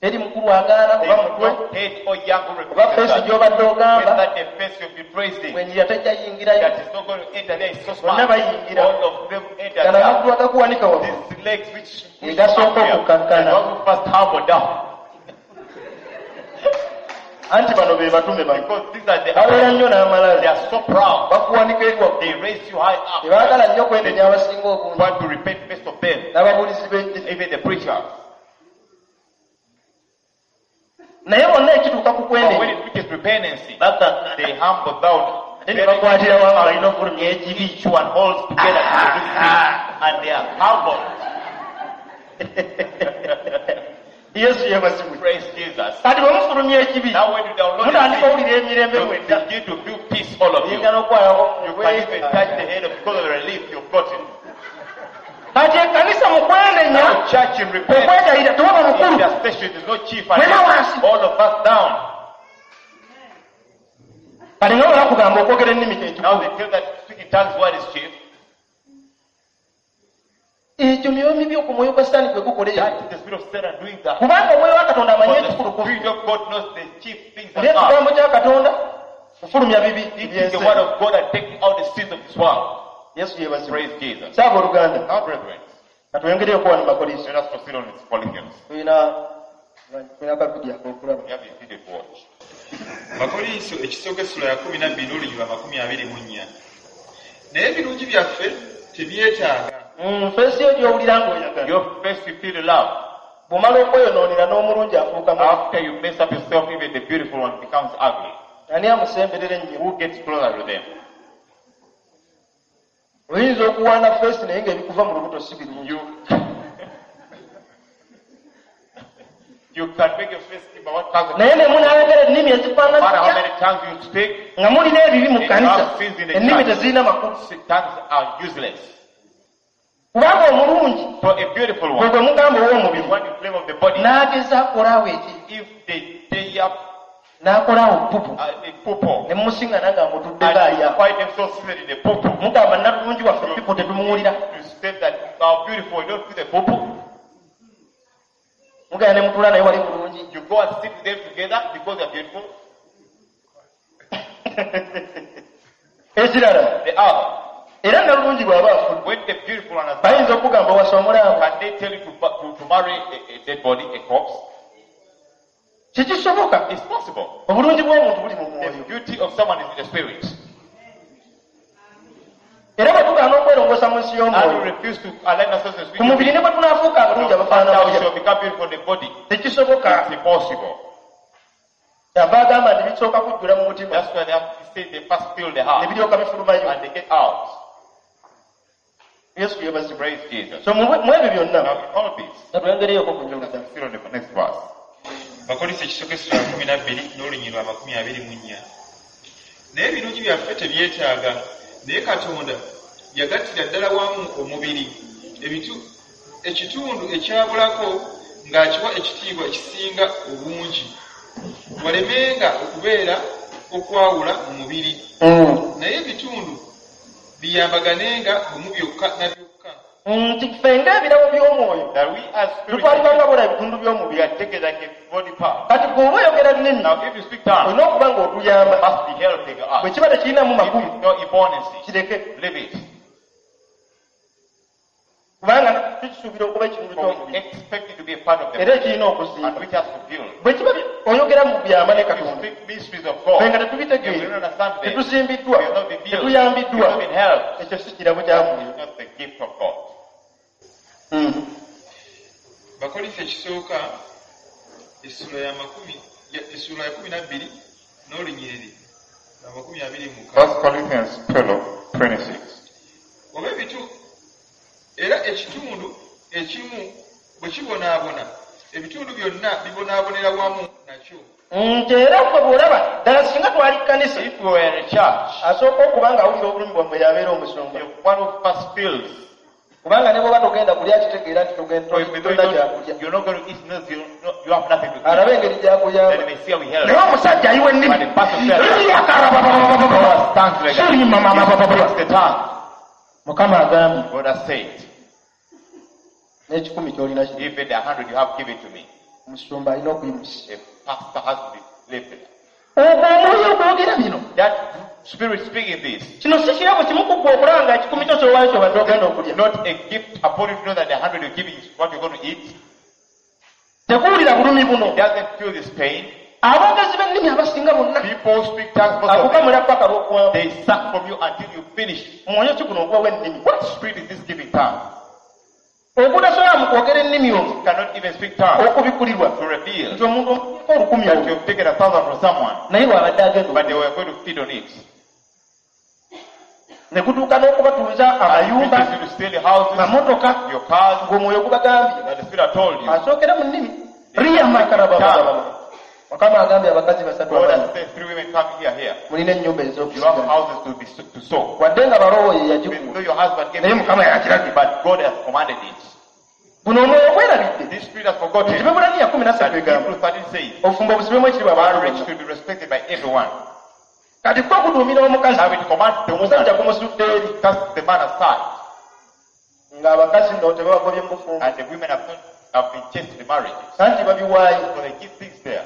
teri mukulu agaana There oba is mutwe no head or young who oba refuses feesi that. gy'obadde ogamba Whether the face you'll be praising, bwenjira tejja yingirayo that is not going to enter there is so Bonna smart. bayingira. All of them enter gano there. amagulu agakuwanika waggulu These legs which Egasooka up here, okukkakkana. the one who first humble down. Anti bano be batume bano Because these are the babeera nnyo they n'amalala are so proud. bakuwanika eri waggulu They raise you high up. tebaagala nnyo kwenenya abasinga obungi Want to repent first of them, n'ababuulizi b'enjiri even the preacher. Naye bonna ekituuka ku But when kwenenya it reaches repentance, bakkakkana they humble down. Ate ne bakwatira wamu balina okufulumya ekibi. Each one holds together to produce sin, and they are humble. Yesu yebazibwe. Praise Jesus. Kati bwe mufulumya ekibi Now when you download mutandika the owulira emirembe sin, you mwenda begin to feel peace, all of you. oyinza n'okwalako You can even touch the head of because of the relief you've gotten. Kati ekkanisa mu kwenenya Now church in repentance, okwegayirira tewaba mukulu intercession, there's no chief and Mwena wansi. all of us down. Kati nga bwe bakugamba okwogera ennimi kyekikulu Now they tell that speaking tongues word is chief. Ekyo myoyo mibi ku mwoyo gwa sitaani gwe gukola ekyo That is the spirit of Satan doing that. Kubanga omwoyo wa Katonda amanyi For the ekikulu ku spirit of God knows the chief things Oli that are. ekigambo kya Katonda kufulumya bibi It is ebyensi the word of God and taking out the sins of this world. Yesu yebazibwe. Praise Jesus. Saaba oluganda Now, brethren, katwongereyo okuwa mu Bakolinso let us proceed on with Corinthians. Tulina tulina kavidiyo ak'okulaba. We have a video to watch. Bakolinso ekisooka essula ya 12 n'olunyiriri 24 naye ebirungi byaffe tebyetaaga. Feesi yo gy'owulira ng'oyagala Your face, you feel love. Bw'omala okweyonoonera n'omulungi afuuka mubi. After you mess up yourself, even the beautiful one becomes ugly. Ani amusemberera ennyo? Who gets closer to them? Oyinza okuwaana feesi naye ng'ebikuva mu lubuto si birungi. You can make your face but what comes Naye ne munaayogera ennimi no ezifaanana matter how zitya many tongues you speak, nga mulina ebibi mu kkanisa ennimi tezirina makulu tongues are useless. Kubanga omulungi For a beautiful gwe one, gwe mugamba ow'omubiri the one you claim of the body, n'ageza akolaawo eki if they they up n'akolaawo pupu a purple ne mumusiŋŋana nga mutuddeko and alya you find themselves seated in the purple, mugamba nalulungi waffe pipu tetumuwulira. You say that are beautiful, you don't feel the purple. Mugenda ne mutuula naye wali bulungi. You go and sit with them together because they're beautiful. Ekirala The other, era nalulungi bw'aba afudde when the beautiful one has died, bayinza okugamba owasa omulamu can they tell you to marry a dead body, a corpse? Kikisoboka. It's possible. Obulungi bw'omuntu buli mu The mwoyo. beauty of someone is in the spirit. Era bwe tugaana okwerongoosa mu nsi And we y'omwoyo refuse to align ourselves with the ku mubiri spirit. ne bwe tunaafuuka abalungi No abafaanana matter we butya shall become beautiful in the body. tekisoboka. It's impossible. Kyava agamba nti bisooka kujjula mu mutima That's why they have to say they first fill the ne heart biryoka bifulumayo. And they get out. Yesu yebazibwe. Praise Jesus. So mu mu ebyo byonna Now, in all this, katwongereyoko ku let us njoluganda. proceed on the next verse. Bakolinso ekisooka essula ya 12 n'olunyiriri 24 naye ebirungi byaffe tebyetaaga naye Katonda yagattira ddala wamu omubiri ekitundu ekyabulako ng'akiwa ekitiibwa ekisinga obungi walemenga okubeera okwawula mu mubiri naye ebitundu biyambaganenga bumu byokka na byokka. Nti ffe ng'ebirabo by'omwoyo That we as spiritual, tutwalibwa nga bola ebitundu we by'omubiri. are taken like a body part. Kati bw'oba oyogera nnimi Now, if you speak tongues, olina okuba ng'otuyamba you must be helping us. bwe kiba tekirinamu If makulu it's no importance, kireke leave it. Kubanga tukisuubira okuba ekitundu For we ky'omubiri expect it to be a part of the era body, ekirina and okuzimba which has to build. bwe kiba oyogera mu byama ne If you Katonda speak mysteries of God, ffe nga if we tetubitegeera don't understand them, we tetusimbiddwa have not been built, we tetuyambiddwa have not been helped. Ekyo si kirabo kya mwoyo. It's not the gift of God. Bakolinso ekisooka essula ya essula ya 12 n'olunyiriri lwa 26. 1 Corinthians 12, 26. Oba ebitu era ekitundu ekimu bwe kibonaabona ebitundu byonna bibonaabonera wamu nakyo. Nti era ffe bw'olaba ddala singa twali kkanisa If we were in a church, asooka okuba ng'awulira obulumi bwammwe yabeera omusumba. the one who first feels Kubanga ne bw'oba togenda kulya kitegeera nti Or if you tolina kyakulya. don't, you're not going to eat, knows you have nothing to eat. Alabe engeri gy'akuyamba. Then they see how we help. Naye omusajja ayiwa ennimi. But the pastor said, Tongues like that. He speaks the tongue. Mukama agambye God has said, n'ekikumi ky'olina kino. even the 100 you have given to me, Omusumba alina okuyimusa. a pastor has to be lifted. Ogwo omwoyo ogwogera bino. That spirit speaking this, Kino si kirabo kimu ku ggwe okulaba nga ekikumi kyo ky'owaayo ky'obadde ogenda okulya. not a gift upon you to know that the 100 you're giving is what you're going to eat. Tekuwulira bulumi buno. It doesn't feel this pain. Aboogezi b'ennimi abasinga bonna People speak tongues, most of them. akukamula paka lw'okuwamu. They suck from you until you finish. Mwoyo ki guno ogubawa ennimi? What spirit is this giving tongue? Ogutasobola mu kwogera ennimi omwo You cannot even speak tongue okubikulirwa to reveal nti omuntu omuko olukumi that olwo you've taken 1,000 from someone, naye bw'abadde agenda but they were going to feed on it. ne gutuuka n'okubatuuza And amayumba teaches you to steal the houses, mamotoka your cars, ng'omwoyo gubagambye that the spirit told you. asookera mu nnimi riyamakarabababa. Mukama agambye abakazi basatu God abali has said 3 women come here. mulina ennyumba You have ez'okusigala houses to sow. wadde nga baloowo ye Even yagikuwa though your husband gave naye it, Mukama yakiragidde. but God has commanded it. Guno omwoyo gwerabidde This spirit has forgotten nti Bebbulaniya kumi na that ssatu egamba Hebrews 13 says obufumbo busibwemu ekitiibwa abantu marriage bonna. should be respected by everyone. Kati kwo kuduumira omukazi Now it commands the omusajja woman gumusudde eri to cast the man aside, ng'abakazi nno tebabagobye mu bufumbo and the women have been chased in the marriage. anti babiwaayo. So they give things there.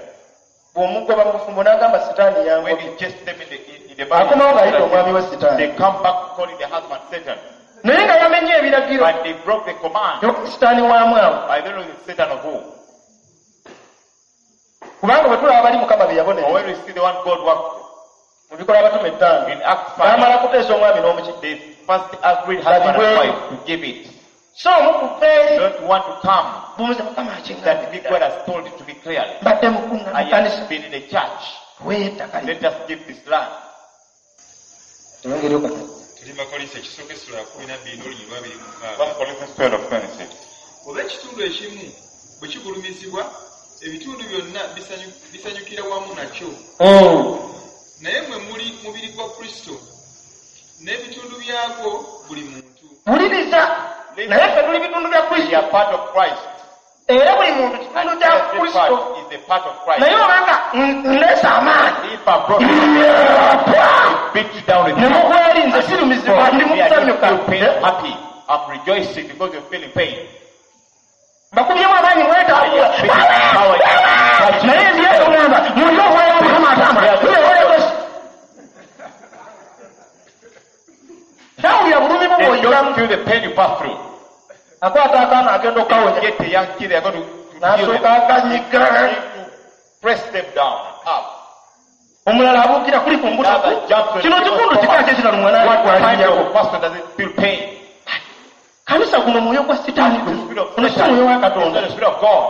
Bw'omugoba mu bufumbo n'agamba sitaani When yangobye you chase them in the akomawo ng'ayita omwami marriage, we sitaani they come back calling the husband Satan. naye nga yamenye ebiragiro But they broke the command. sitaani waamu awo I don't know the Satan of who. kubanga bwe tulaba bali Mukama be But yabonereza when we see the one God worked mu bikolwa abatume ettaano in Acts 5, baamala kuteesa omwami n'omuki they first agreed husband and wife to give it. So omu kuva eri Don't want to come bumuze Mukama that akiŋŋambye God has told it to me clearly. mbadde mukunga I mu kanisa have been in the church. tuweeyo ettaka lino Let us give this land. tewongereyo katono. Tuli Bakolinso ekisooka essula ya 12 n'olunyiriri lwa 26. 1 Corinthians 12:26. Oba ekitundu ekimu bwe kigulumizibwa, ebitundu byonna bisanyukira wamu nakyo. Naye mmwe muli mubiri gwa Kristo, n'ebitundu byagwo buli muntu. Wuliriza naye ffe tuli bitundu bya We Kristo are part of Christ. era buli muntu kitundu kya Every Kristo part is a part of Christ. naye obanga nleese amaanyi If I brought you, beat you down with ne mugweri nze sirumizibwa ndi mu Me, I don't kusanyuka feel pain, I'm happy. I'm rejoicing because you're feeling pain. Bakubyemu amaanyi mwetambula Power. naye nziyeso ŋŋamba muli omwoyo wa Mukama atambula tawulira bulumi bwo They bw'oyitamu don't feel the pain you pass through. Akwata akaana agenda They okukawonya get a young kid, they are going to heal n'asooka them. akanyiga To press them down up. Omulala abuukira kuli ku mbuto Another jumps on kino the kikundu kika ki ekirala What kind omwana of person does it feel pain? Kanisa guno mwoyo gwa sitaani The spirit of guno si Satan. mwoyo wa It's not Katonda the spirit of God.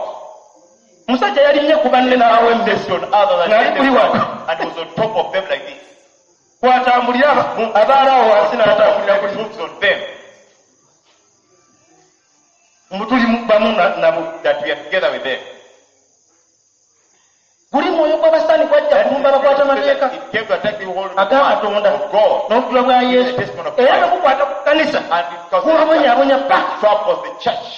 Omusajja yalinnye ku banne n'awa emmere Based on others Ng'ali and, kuli wano. and was on top of them like this. Kwatambulira abaala awo wansi n'atambulira It kuli moves on them mbu tuli bamu nabo that we are together with them. Guli mwoyo gw'abasaani gwajja kulumba abakwata amateeka It came to attack the whole aga Katonda of God. n'obujulwa bwa Yesu era bwe bukwata ku kanisa And it caused gubabonyaabonya paka troubles the church.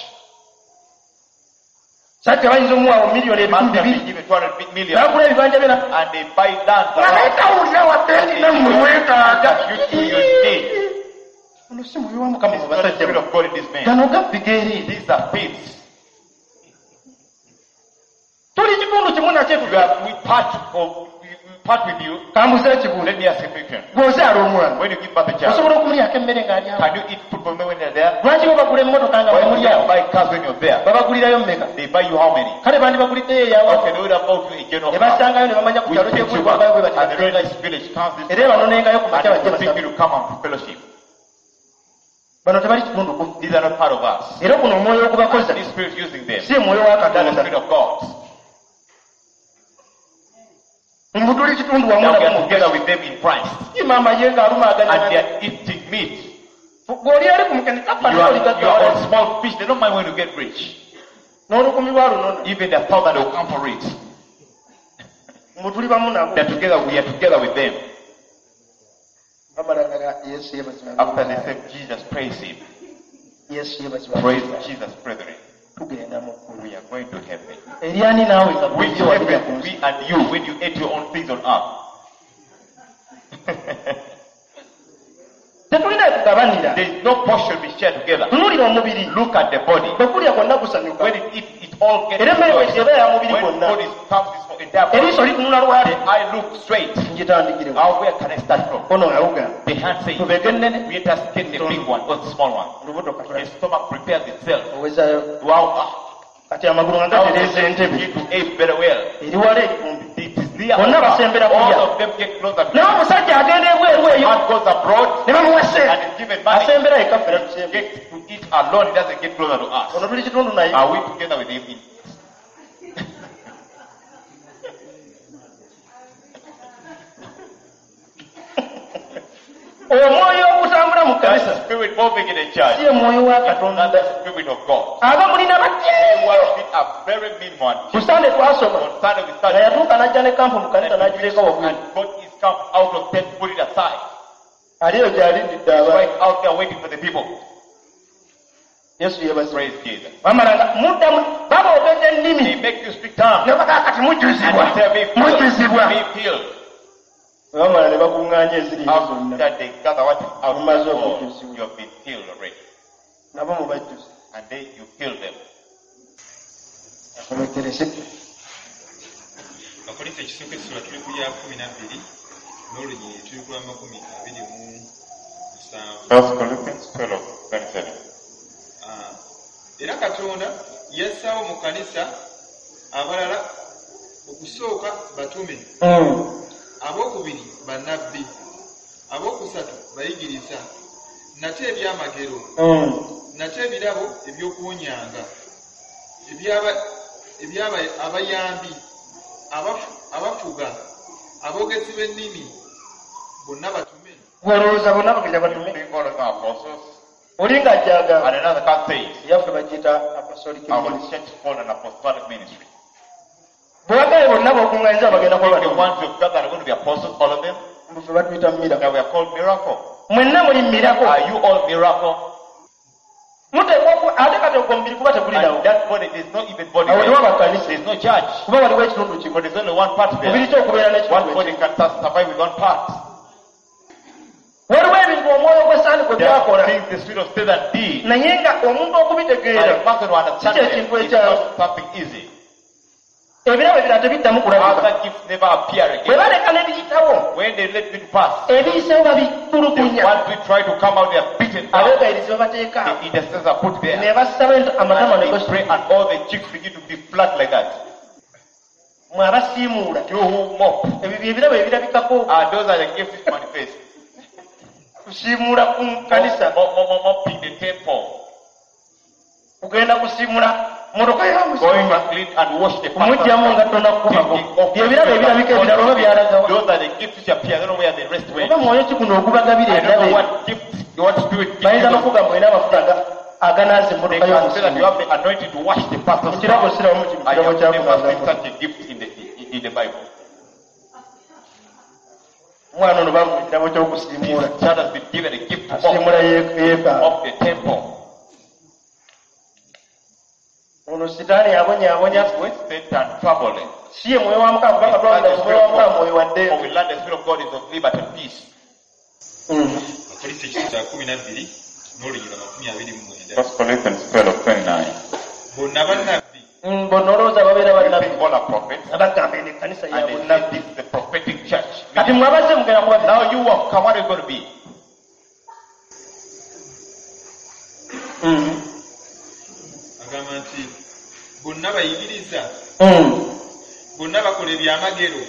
Sajja bayinza omuwaawo miliyoni ebikumi Man can be bibiri given 200 million n'agula ebibanja bye and they buy land nga around. tawulira wadde nti nammwe mwetaaga You too, you need. Ono si mwoyo wa Mukama mu It's not the basajja spirit of God in this man. gano gabbi geereere These are thieves. Tuli kitundu kimu nakyo We are we part of we, we part with you. Kambuze ekibuuzo Let me ask a question. Gw'ozaala omwana When you give birth a child, osobola okumulyako emmere ng'alyawo can you eat food from them when they're there? Lwaki bo bagula emmotoka nga Why do bwemulyawo you buy cars when you're there? Babagulirayo mmeka They buy you how many? Kale bandibaguliddeyo eyawa Okay, they would have bought you a general ne car. basangayo ne bamanya ku We kyalo pick you kyekuli up bwabayo bwe and the bati this village comes this era banonengayo ku makya and bajje they pick basaba you to come and fellowship. Bano tebali kitundu ku These are not part of us. Era guno omwoyo ogubakoza This spirit using them. Si mwoyo wa That's the Katonda spirit of God. Mbu tuli kitundu wamu Now we nabo are mu together with them in Christ. Ye maama ye ng'aluma And they aganya are eating meat. Gw'oli ali ku mukene You are, you are on kafa small fish. They don't mind when you get rich. N'olukumi lwa lunona Even the thousand will come for it. Mbu tuli bamu nabo They are together. We are together with them. Bamalanga Yesu yeebazibwe After they say Jesus, praise him. Yesu yeebazibwa. Praise Jesus, brethren. Tugenda mu ggulu. We are going to heaven. Eryani naawe nga Which bulijjo walirya ku heaven nsi? we and you when you ate your own things on earth? Tetulina kugabanira. There is no portion we share together. Tunuulira omubiri. Look at the body. Bwe gulya gwonna gusanyuka. When it eats, it all gets Era emmere rejoiced. eba ya mubiri When gwonna. food is comes, it's for entire body. Eriiso litunula lwali. The eye looks straight. Ngitandikirewo. Now where can I start from? Ono awuga. The hand says, Tubege ennene. we just get the big one or the small one. Olubuto The katula. stomach prepares itself. Owezaayo. Wow, Kati amagulu nga now gatereeza entebe. begin to ape very well. Eri wala erikumbi. It is near. Bonna basembera kulya. All of them get closer. Naye omusajja agenda ebweru eyo Man goes abroad ne bamuwa ssente. and is given money. Asembera yekka ffe tusembe. Gets to eat alone. He doesn't get closer to us. Ono tuli kitundu naye. Are we together with him? Omwoyo ogutambula mu That kkanisa spirit moving in the church. si ye mwoyo wa Not Katonda. the spirit of God. Aba mulina batya. Well, we are very mean one. Ku Sande twasoma On Sunday we nga started yatuuka n'ajja ne kampu mu kanisa n'agireka wabweru. and got his camp out of tent, put it aside. Ali eyo gy'alindidde abantu. Right out there waiting for the people. Yesu yeebazibwe. Praise Jesus. Bamala nga muddamu baboogedde ennimi They make you speak tongues. ne bagaa kati mujjuzibwa And they say, be filled. mujjuzibwa. Be filled. Bwe bamala ne bakuŋŋaanya eziri eri zonna After they gather what is out Mumaze of God, okujjuzibwa. you have been filled already. Nabo mubajjuze. And then you fill them. Akomekereze. Abakolinso ekisooka essula tuli ku lya 12 n'olunyiriri tuli ku lwa 27. First Corinthians 12, 27. Ah, era Katonda yassaawo mu kkanisa abalala okusooka batume, abookubiri bannabbi, abookusatu bayigiriza, nate ebyamagero, nate ebirabo eby'okuwonyanga, ebyaba abayambi, abafuga, aboogezi b'ennimi, bonna batume. Gw'olowooza bonna bagenda batume. Think all of our apostles. Oli ng'ajja agamba And another can says, yaffe bagiyita apostolic our ministry. church is called an apostolic ministry. Bwe bagaye bonna b'okuŋŋaanyiza bagenda kuba The batume. ones who gathered are going to be apostles, all of them. Mbu ffe batuyita miracle. That we are called miracle. Mwenna muli miracle. Are you all miracle? Muteekwa ate kati ogwo omubiri kuba tegulinawo. And that body, there's not even body Awo there. tewaba kkanisa. There's no church. Kuba waliwo ekitundu kimu. But there's only one part Mubiri there. ki okubeera n'ekitundu One body ekimu? can survive with one part. Waliwo ebintu omwoyo gwa Setaani gwe There are byakola. things the spirit of Satan did. Naye nga omuntu And okubitegeera a person who understands Si them kye kintu is ekyangu. not something easy. Ebirabo ebirala tebiddamu kulabika. Other gifts never appear Bwe again. baleka n'ebiyitawo, When they let it pass, ebiyiseewo the babitulugunya. ones who try to come out, they are beaten down. Abeegayirizi babateeka The intercessors are put there. ne basaba amatama ne And they pray gasituka. and all the cheeks begin to be flat like that. Mwe abasiimuula. You who mop, Ebyo bye birabo ebirabikako those are the gifts which manifest. kusiimuula ku kkanisa, Mopping the temple. kugenda kusiimuula mmotoka ya Going musumba, to clean and wash the kumuggyamu pastor's ngatto nakukubako. Taking off Bye birabo ebirabika ebirala oba byalagawa. Those are the gifts which appear. I don't know where the rest went. Oba mwoyo ki guno ogubagabira I don't know ebirabo ebyo? what gift, what spirit gives Bayinza you. n'okugamba olina amafuta aganaaza They emmotoka can say that you y'omusumba. have the anointing to wash the pastor's Mu kirabo car. sirabamu kino I kirabo have never seen kyakunaaza. such a gift in the Bible. Omwana ono bamuwa ekirabo ky'okusiimuula. This child has been given a gift to mop, Asiimula yeekaalu. mop the temple. Ono Sitaani abonyaabonya ffe. Satan troubling. Si ye mwoyo wa Mukama kubanga twawulira omwoyo wa Mukama mwoyo wa For ddembe. we learn the Spirit of God is of liberty and peace. Abakolinso ekisooka kya 12 n'olunyiriri 29. First Corinthians 12:29. Bonna bannabbi, Bonna olowooza babeera bannabbi. All are prophets. Abagamba eno ekkanisa ya And they say bunnabbi. this is the prophetic church. Kati mwe abazze mugenda kuba Now you have come, what are you going to be? Agamba nti bonna bayigiriza, bonna bakola ebyamagero,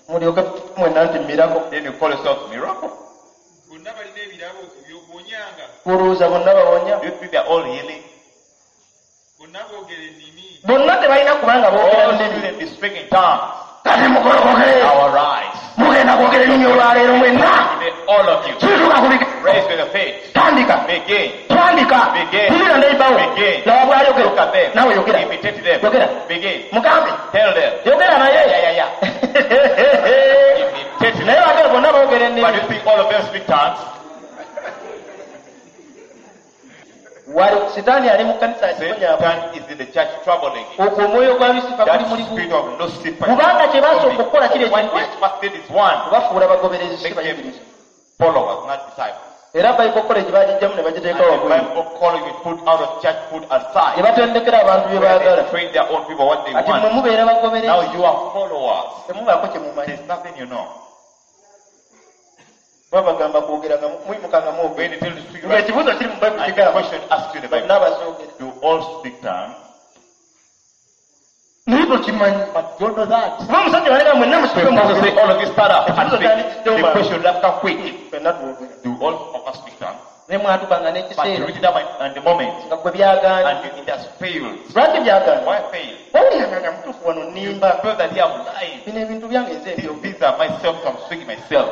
Mulyoke mwenna nti miracle. Then you call yourself miracle. bonna balina ebirabo eby'okuwonyanga, Olowooza bonna bawonya. Do you think they are all healing? bonna boogera ennimi, Bonna tebalina kubanga boogera All nnimi. shouldn't be speaking tongues. Kati mugolokoke. Our rise. Mugenda kwogera ennimi olwaleero mwenna. Today, all of you. Kituuka ku Raise with your faith. Tandika. Begin. Tandika. Begin. Tulira neighbor. Begin. Laba bw'ayogera. Look at them. Naawe yogera. Imitate them. Yogera. Begin. Mugambe. Tell them. Yogera naye. Yeah. Imitate Naye them. bagala bonna boogera But ennimi. you think all of them speak tongues? Wali Sitaani ali mu kkanisa akibonyaabo. Satan is in the church troubling it. Ogwo omwoyo gwa Lusifa That guli spirit muli of Lucifer. Kubanga kye basooka okukola kiri What ekintu they fasted is one. kubafuula bagoberezi si Make them bayigiriza. followers, not disciples. Era Bible College bagijjamu ne And bagiteeka the wabweru. Bible college we put out of church, put Gye aside. batendekera abantu bye Where baagala. they train their own people what they Ati mmwe want. mubeera Now bagoberezi. you are followers. Temubaako kye mumanyi. There's nothing you know. Babagamba kwogera nga muyimuka nga When mwogera. they tell you to speak right, Ng'ekibuuzo kiri mu Bayibuli and the kigamba. question asked you in the Bonna Bible, bazoogera. you all speak tongues, Naye tokimanyi. but you don't know that. Kuba omusajja walega mwenna The musituke pastor mwogere. say, all of you stand up and Ekibuuzo speak. kyandikiddewo The mangu. question will have come quick. Ffenna twogera. Do all of us speak tongues? Ne mwatukanga But you n'ekiseera read it down and the moment, nga gwe byagaana. and you, it has failed. Lwaki byagaana? Why fail? Wawuliranga nga mutuufu wano You nnimba. feel that here I'm lying. Bino ebintu byange nze ebyogera. These are myself, I'm speaking myself.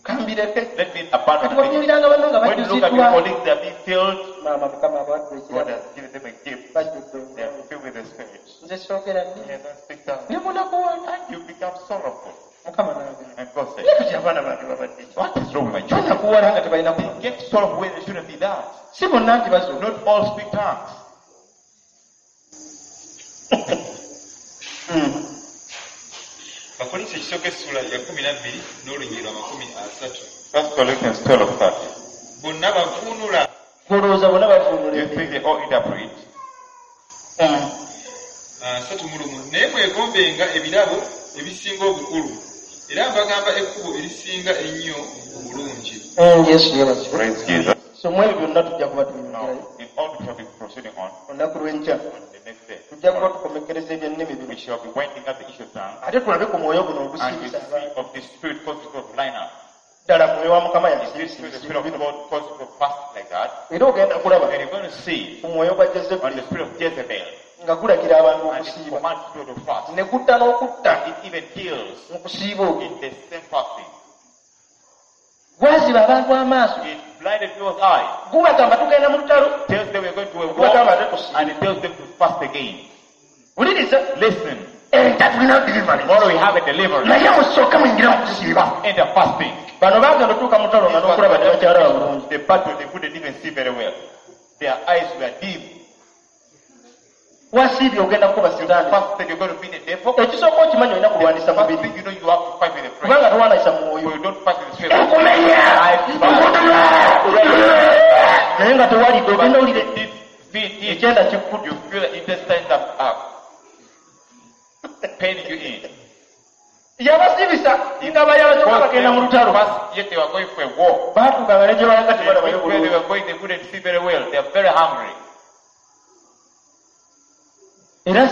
Kambireke. Let me abandon Kati things. watunuuliranga banno nga When you look at your bajjuziddwa. colleagues, they are being filled. Maama Mukama abawadde God ekirabo. has given them a gift. Bajjudde They are omwoyo. filled with the Spirit. Nze soogera nnyo. They don't speak tongues. Ne munakuwala. And you become sorrowful. Mukama n'agamba. And God said, Naye kati abaana bange babadde ki? what is wrong with my children? Banakuwala nga tebalina They kumanya. get sorrowful when they shouldn't be that. Si bonna nti bazoogera. Not all speak tongues. Abakolinso ekisooka essula ya 12 n'olunyiriri lwa 30. First Corinthians 12:30. Bonna bavuunula. Olowooza bonna bavuunula You ennimi. think they all interpret? 31. Naye mwegombenga ebirabo ebisinga obukulu, era mbagamba ekkubo erisinga ennyo obulungi. Yesu yeebazibwe. Praise Jesus. So mu ebyo byonna tujja kuba Now, tuyingirayo. in all we shall be proceeding on Olunaku lw'enkya on the next day, tujja kuba tukomekkereza ebyennimi bino. we shall be winding up the issue of tongues Ate tulabe ku mwoyo guno and we ogusiibisa see abantu. of the spirit causing people to line up. Ddala mwoyo wa Mukama Is this yasiibisa spirit, the ebisiibo spirit of bino. God causing people to fast like that? Era ogenda kulaba And you're going to see ku mwoyo gwa on Jezebeli the spirit of Jezebel nga gulagira abantu and it okusiiba. commands people to fast. Ne gutta n'okutta It even kills mu kusiiba okwo. in the same fasting. Gwaziba abantu amaaso. It blinded people's eyes. Gubagamba tugenda mu lutalo. Tells them we're going to a war Gubagamba ate tusiibe. and it tells them to fast again. Wuliriza. Listen, Enkya tulina deliverance. tomorrow we have a deliverance. Naye musooke muyingire mu kusiiba. Enter fasting. Bano baagenda otuuka mu lutalo nga n'okulaba tebakyalaba bulungi. The battle they couldn't even see very well. Their eyes were dim. Wasiibye ogenda kukuba Sitaani. Fasted, you're going to be the devil. Ekisooka okimanyi olina kulwanisa First mubiri. thing you know, you have to fight with the flesh. Kubanga tolwanisa mwoyo. You don't fight with the spirit. Nkumenya! Naye nga tewalidde ogenda owulire Deep, feed it. ekyenda kikudde. You feel the intestines are paining you in. Yabasiibisa nga bayala kyokka bagenda mu lutalo. First, yet they were going for a war. Baatuukanga ne gye balaga They tebalabayo where they bulungi. were going, they couldn't see very well. They are very hungry. Era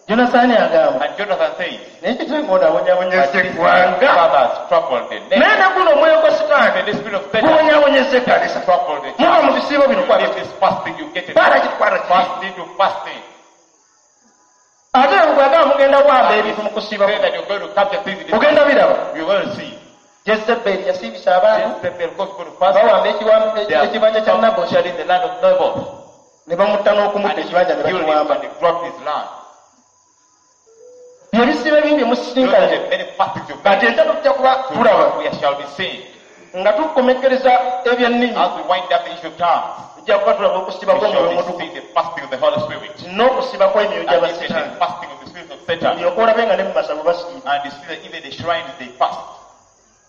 Yonasaani agamba And Jonathan says, naye kitange ono abonyaabonyeza but this eggwanga. father has troubled the nation. Naye ne guno omwoyo gwa Sitaani Even the spirit of Satan gubonyaabonyeza ekkanisa. troubled the church. Muva mu bisiibo bino You kwata leave this fasting, you get it. Kwata ki, kwata ki. Fasting to fasting. Ate bw'agamba mugenda wamba ebintu mu kusiiba Say that you're going to capture things in this. ogenda biraba. You're going to see. Jezebeli yasiibisa abantu Jezebel goes to fast. bawamba They are ekibanja kya Nabosi captured in the land of Naboth. ne bamutta n'okumutta And he ekibanja ne killed him bakiwamba. and they dropped his land. Bye bisiibo ebingi Those are musisinkanye the many fastings you kati make. enkya tujja kuba tulaba We shall be seeing. nga tukomekkereza ebyennimi As we wind up the issue of tongues, tujja kuba tulaba okusiba we kw'omwoyo shall be omutukuvu seeing the fasting of the Holy Spirit. n'okusiba kw'emyoyo And gya even the basitaani fasting of the spirit of Satan. olyoke olabe nga ne mu masabo basiiba. And you see that even the shrines, they fast.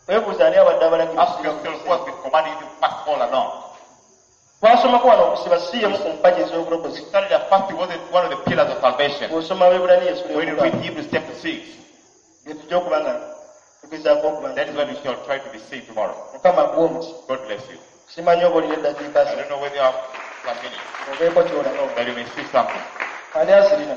Weebuuza ani abadde abalagira Ask yourself who has been commanding you to fast all along. Twasomako wano okusiba si emu ku mpagi ez'obulokozi. We started that fasting wasn't one of the pillars of salvation. Bw'osoma Abaebbulaniya essula When you ey'omukaaga, read Hebrews chapter 6, bye tujja okuba nga tugezaako okuba nga that is what we shall try to be seeing tomorrow. Mukama akuwe omukisa. God bless you. Simanyi oba olina eddakiika I asatu don't know whether you have some minutes, obeeko ky'olaba. that you may see something. Ani azirina?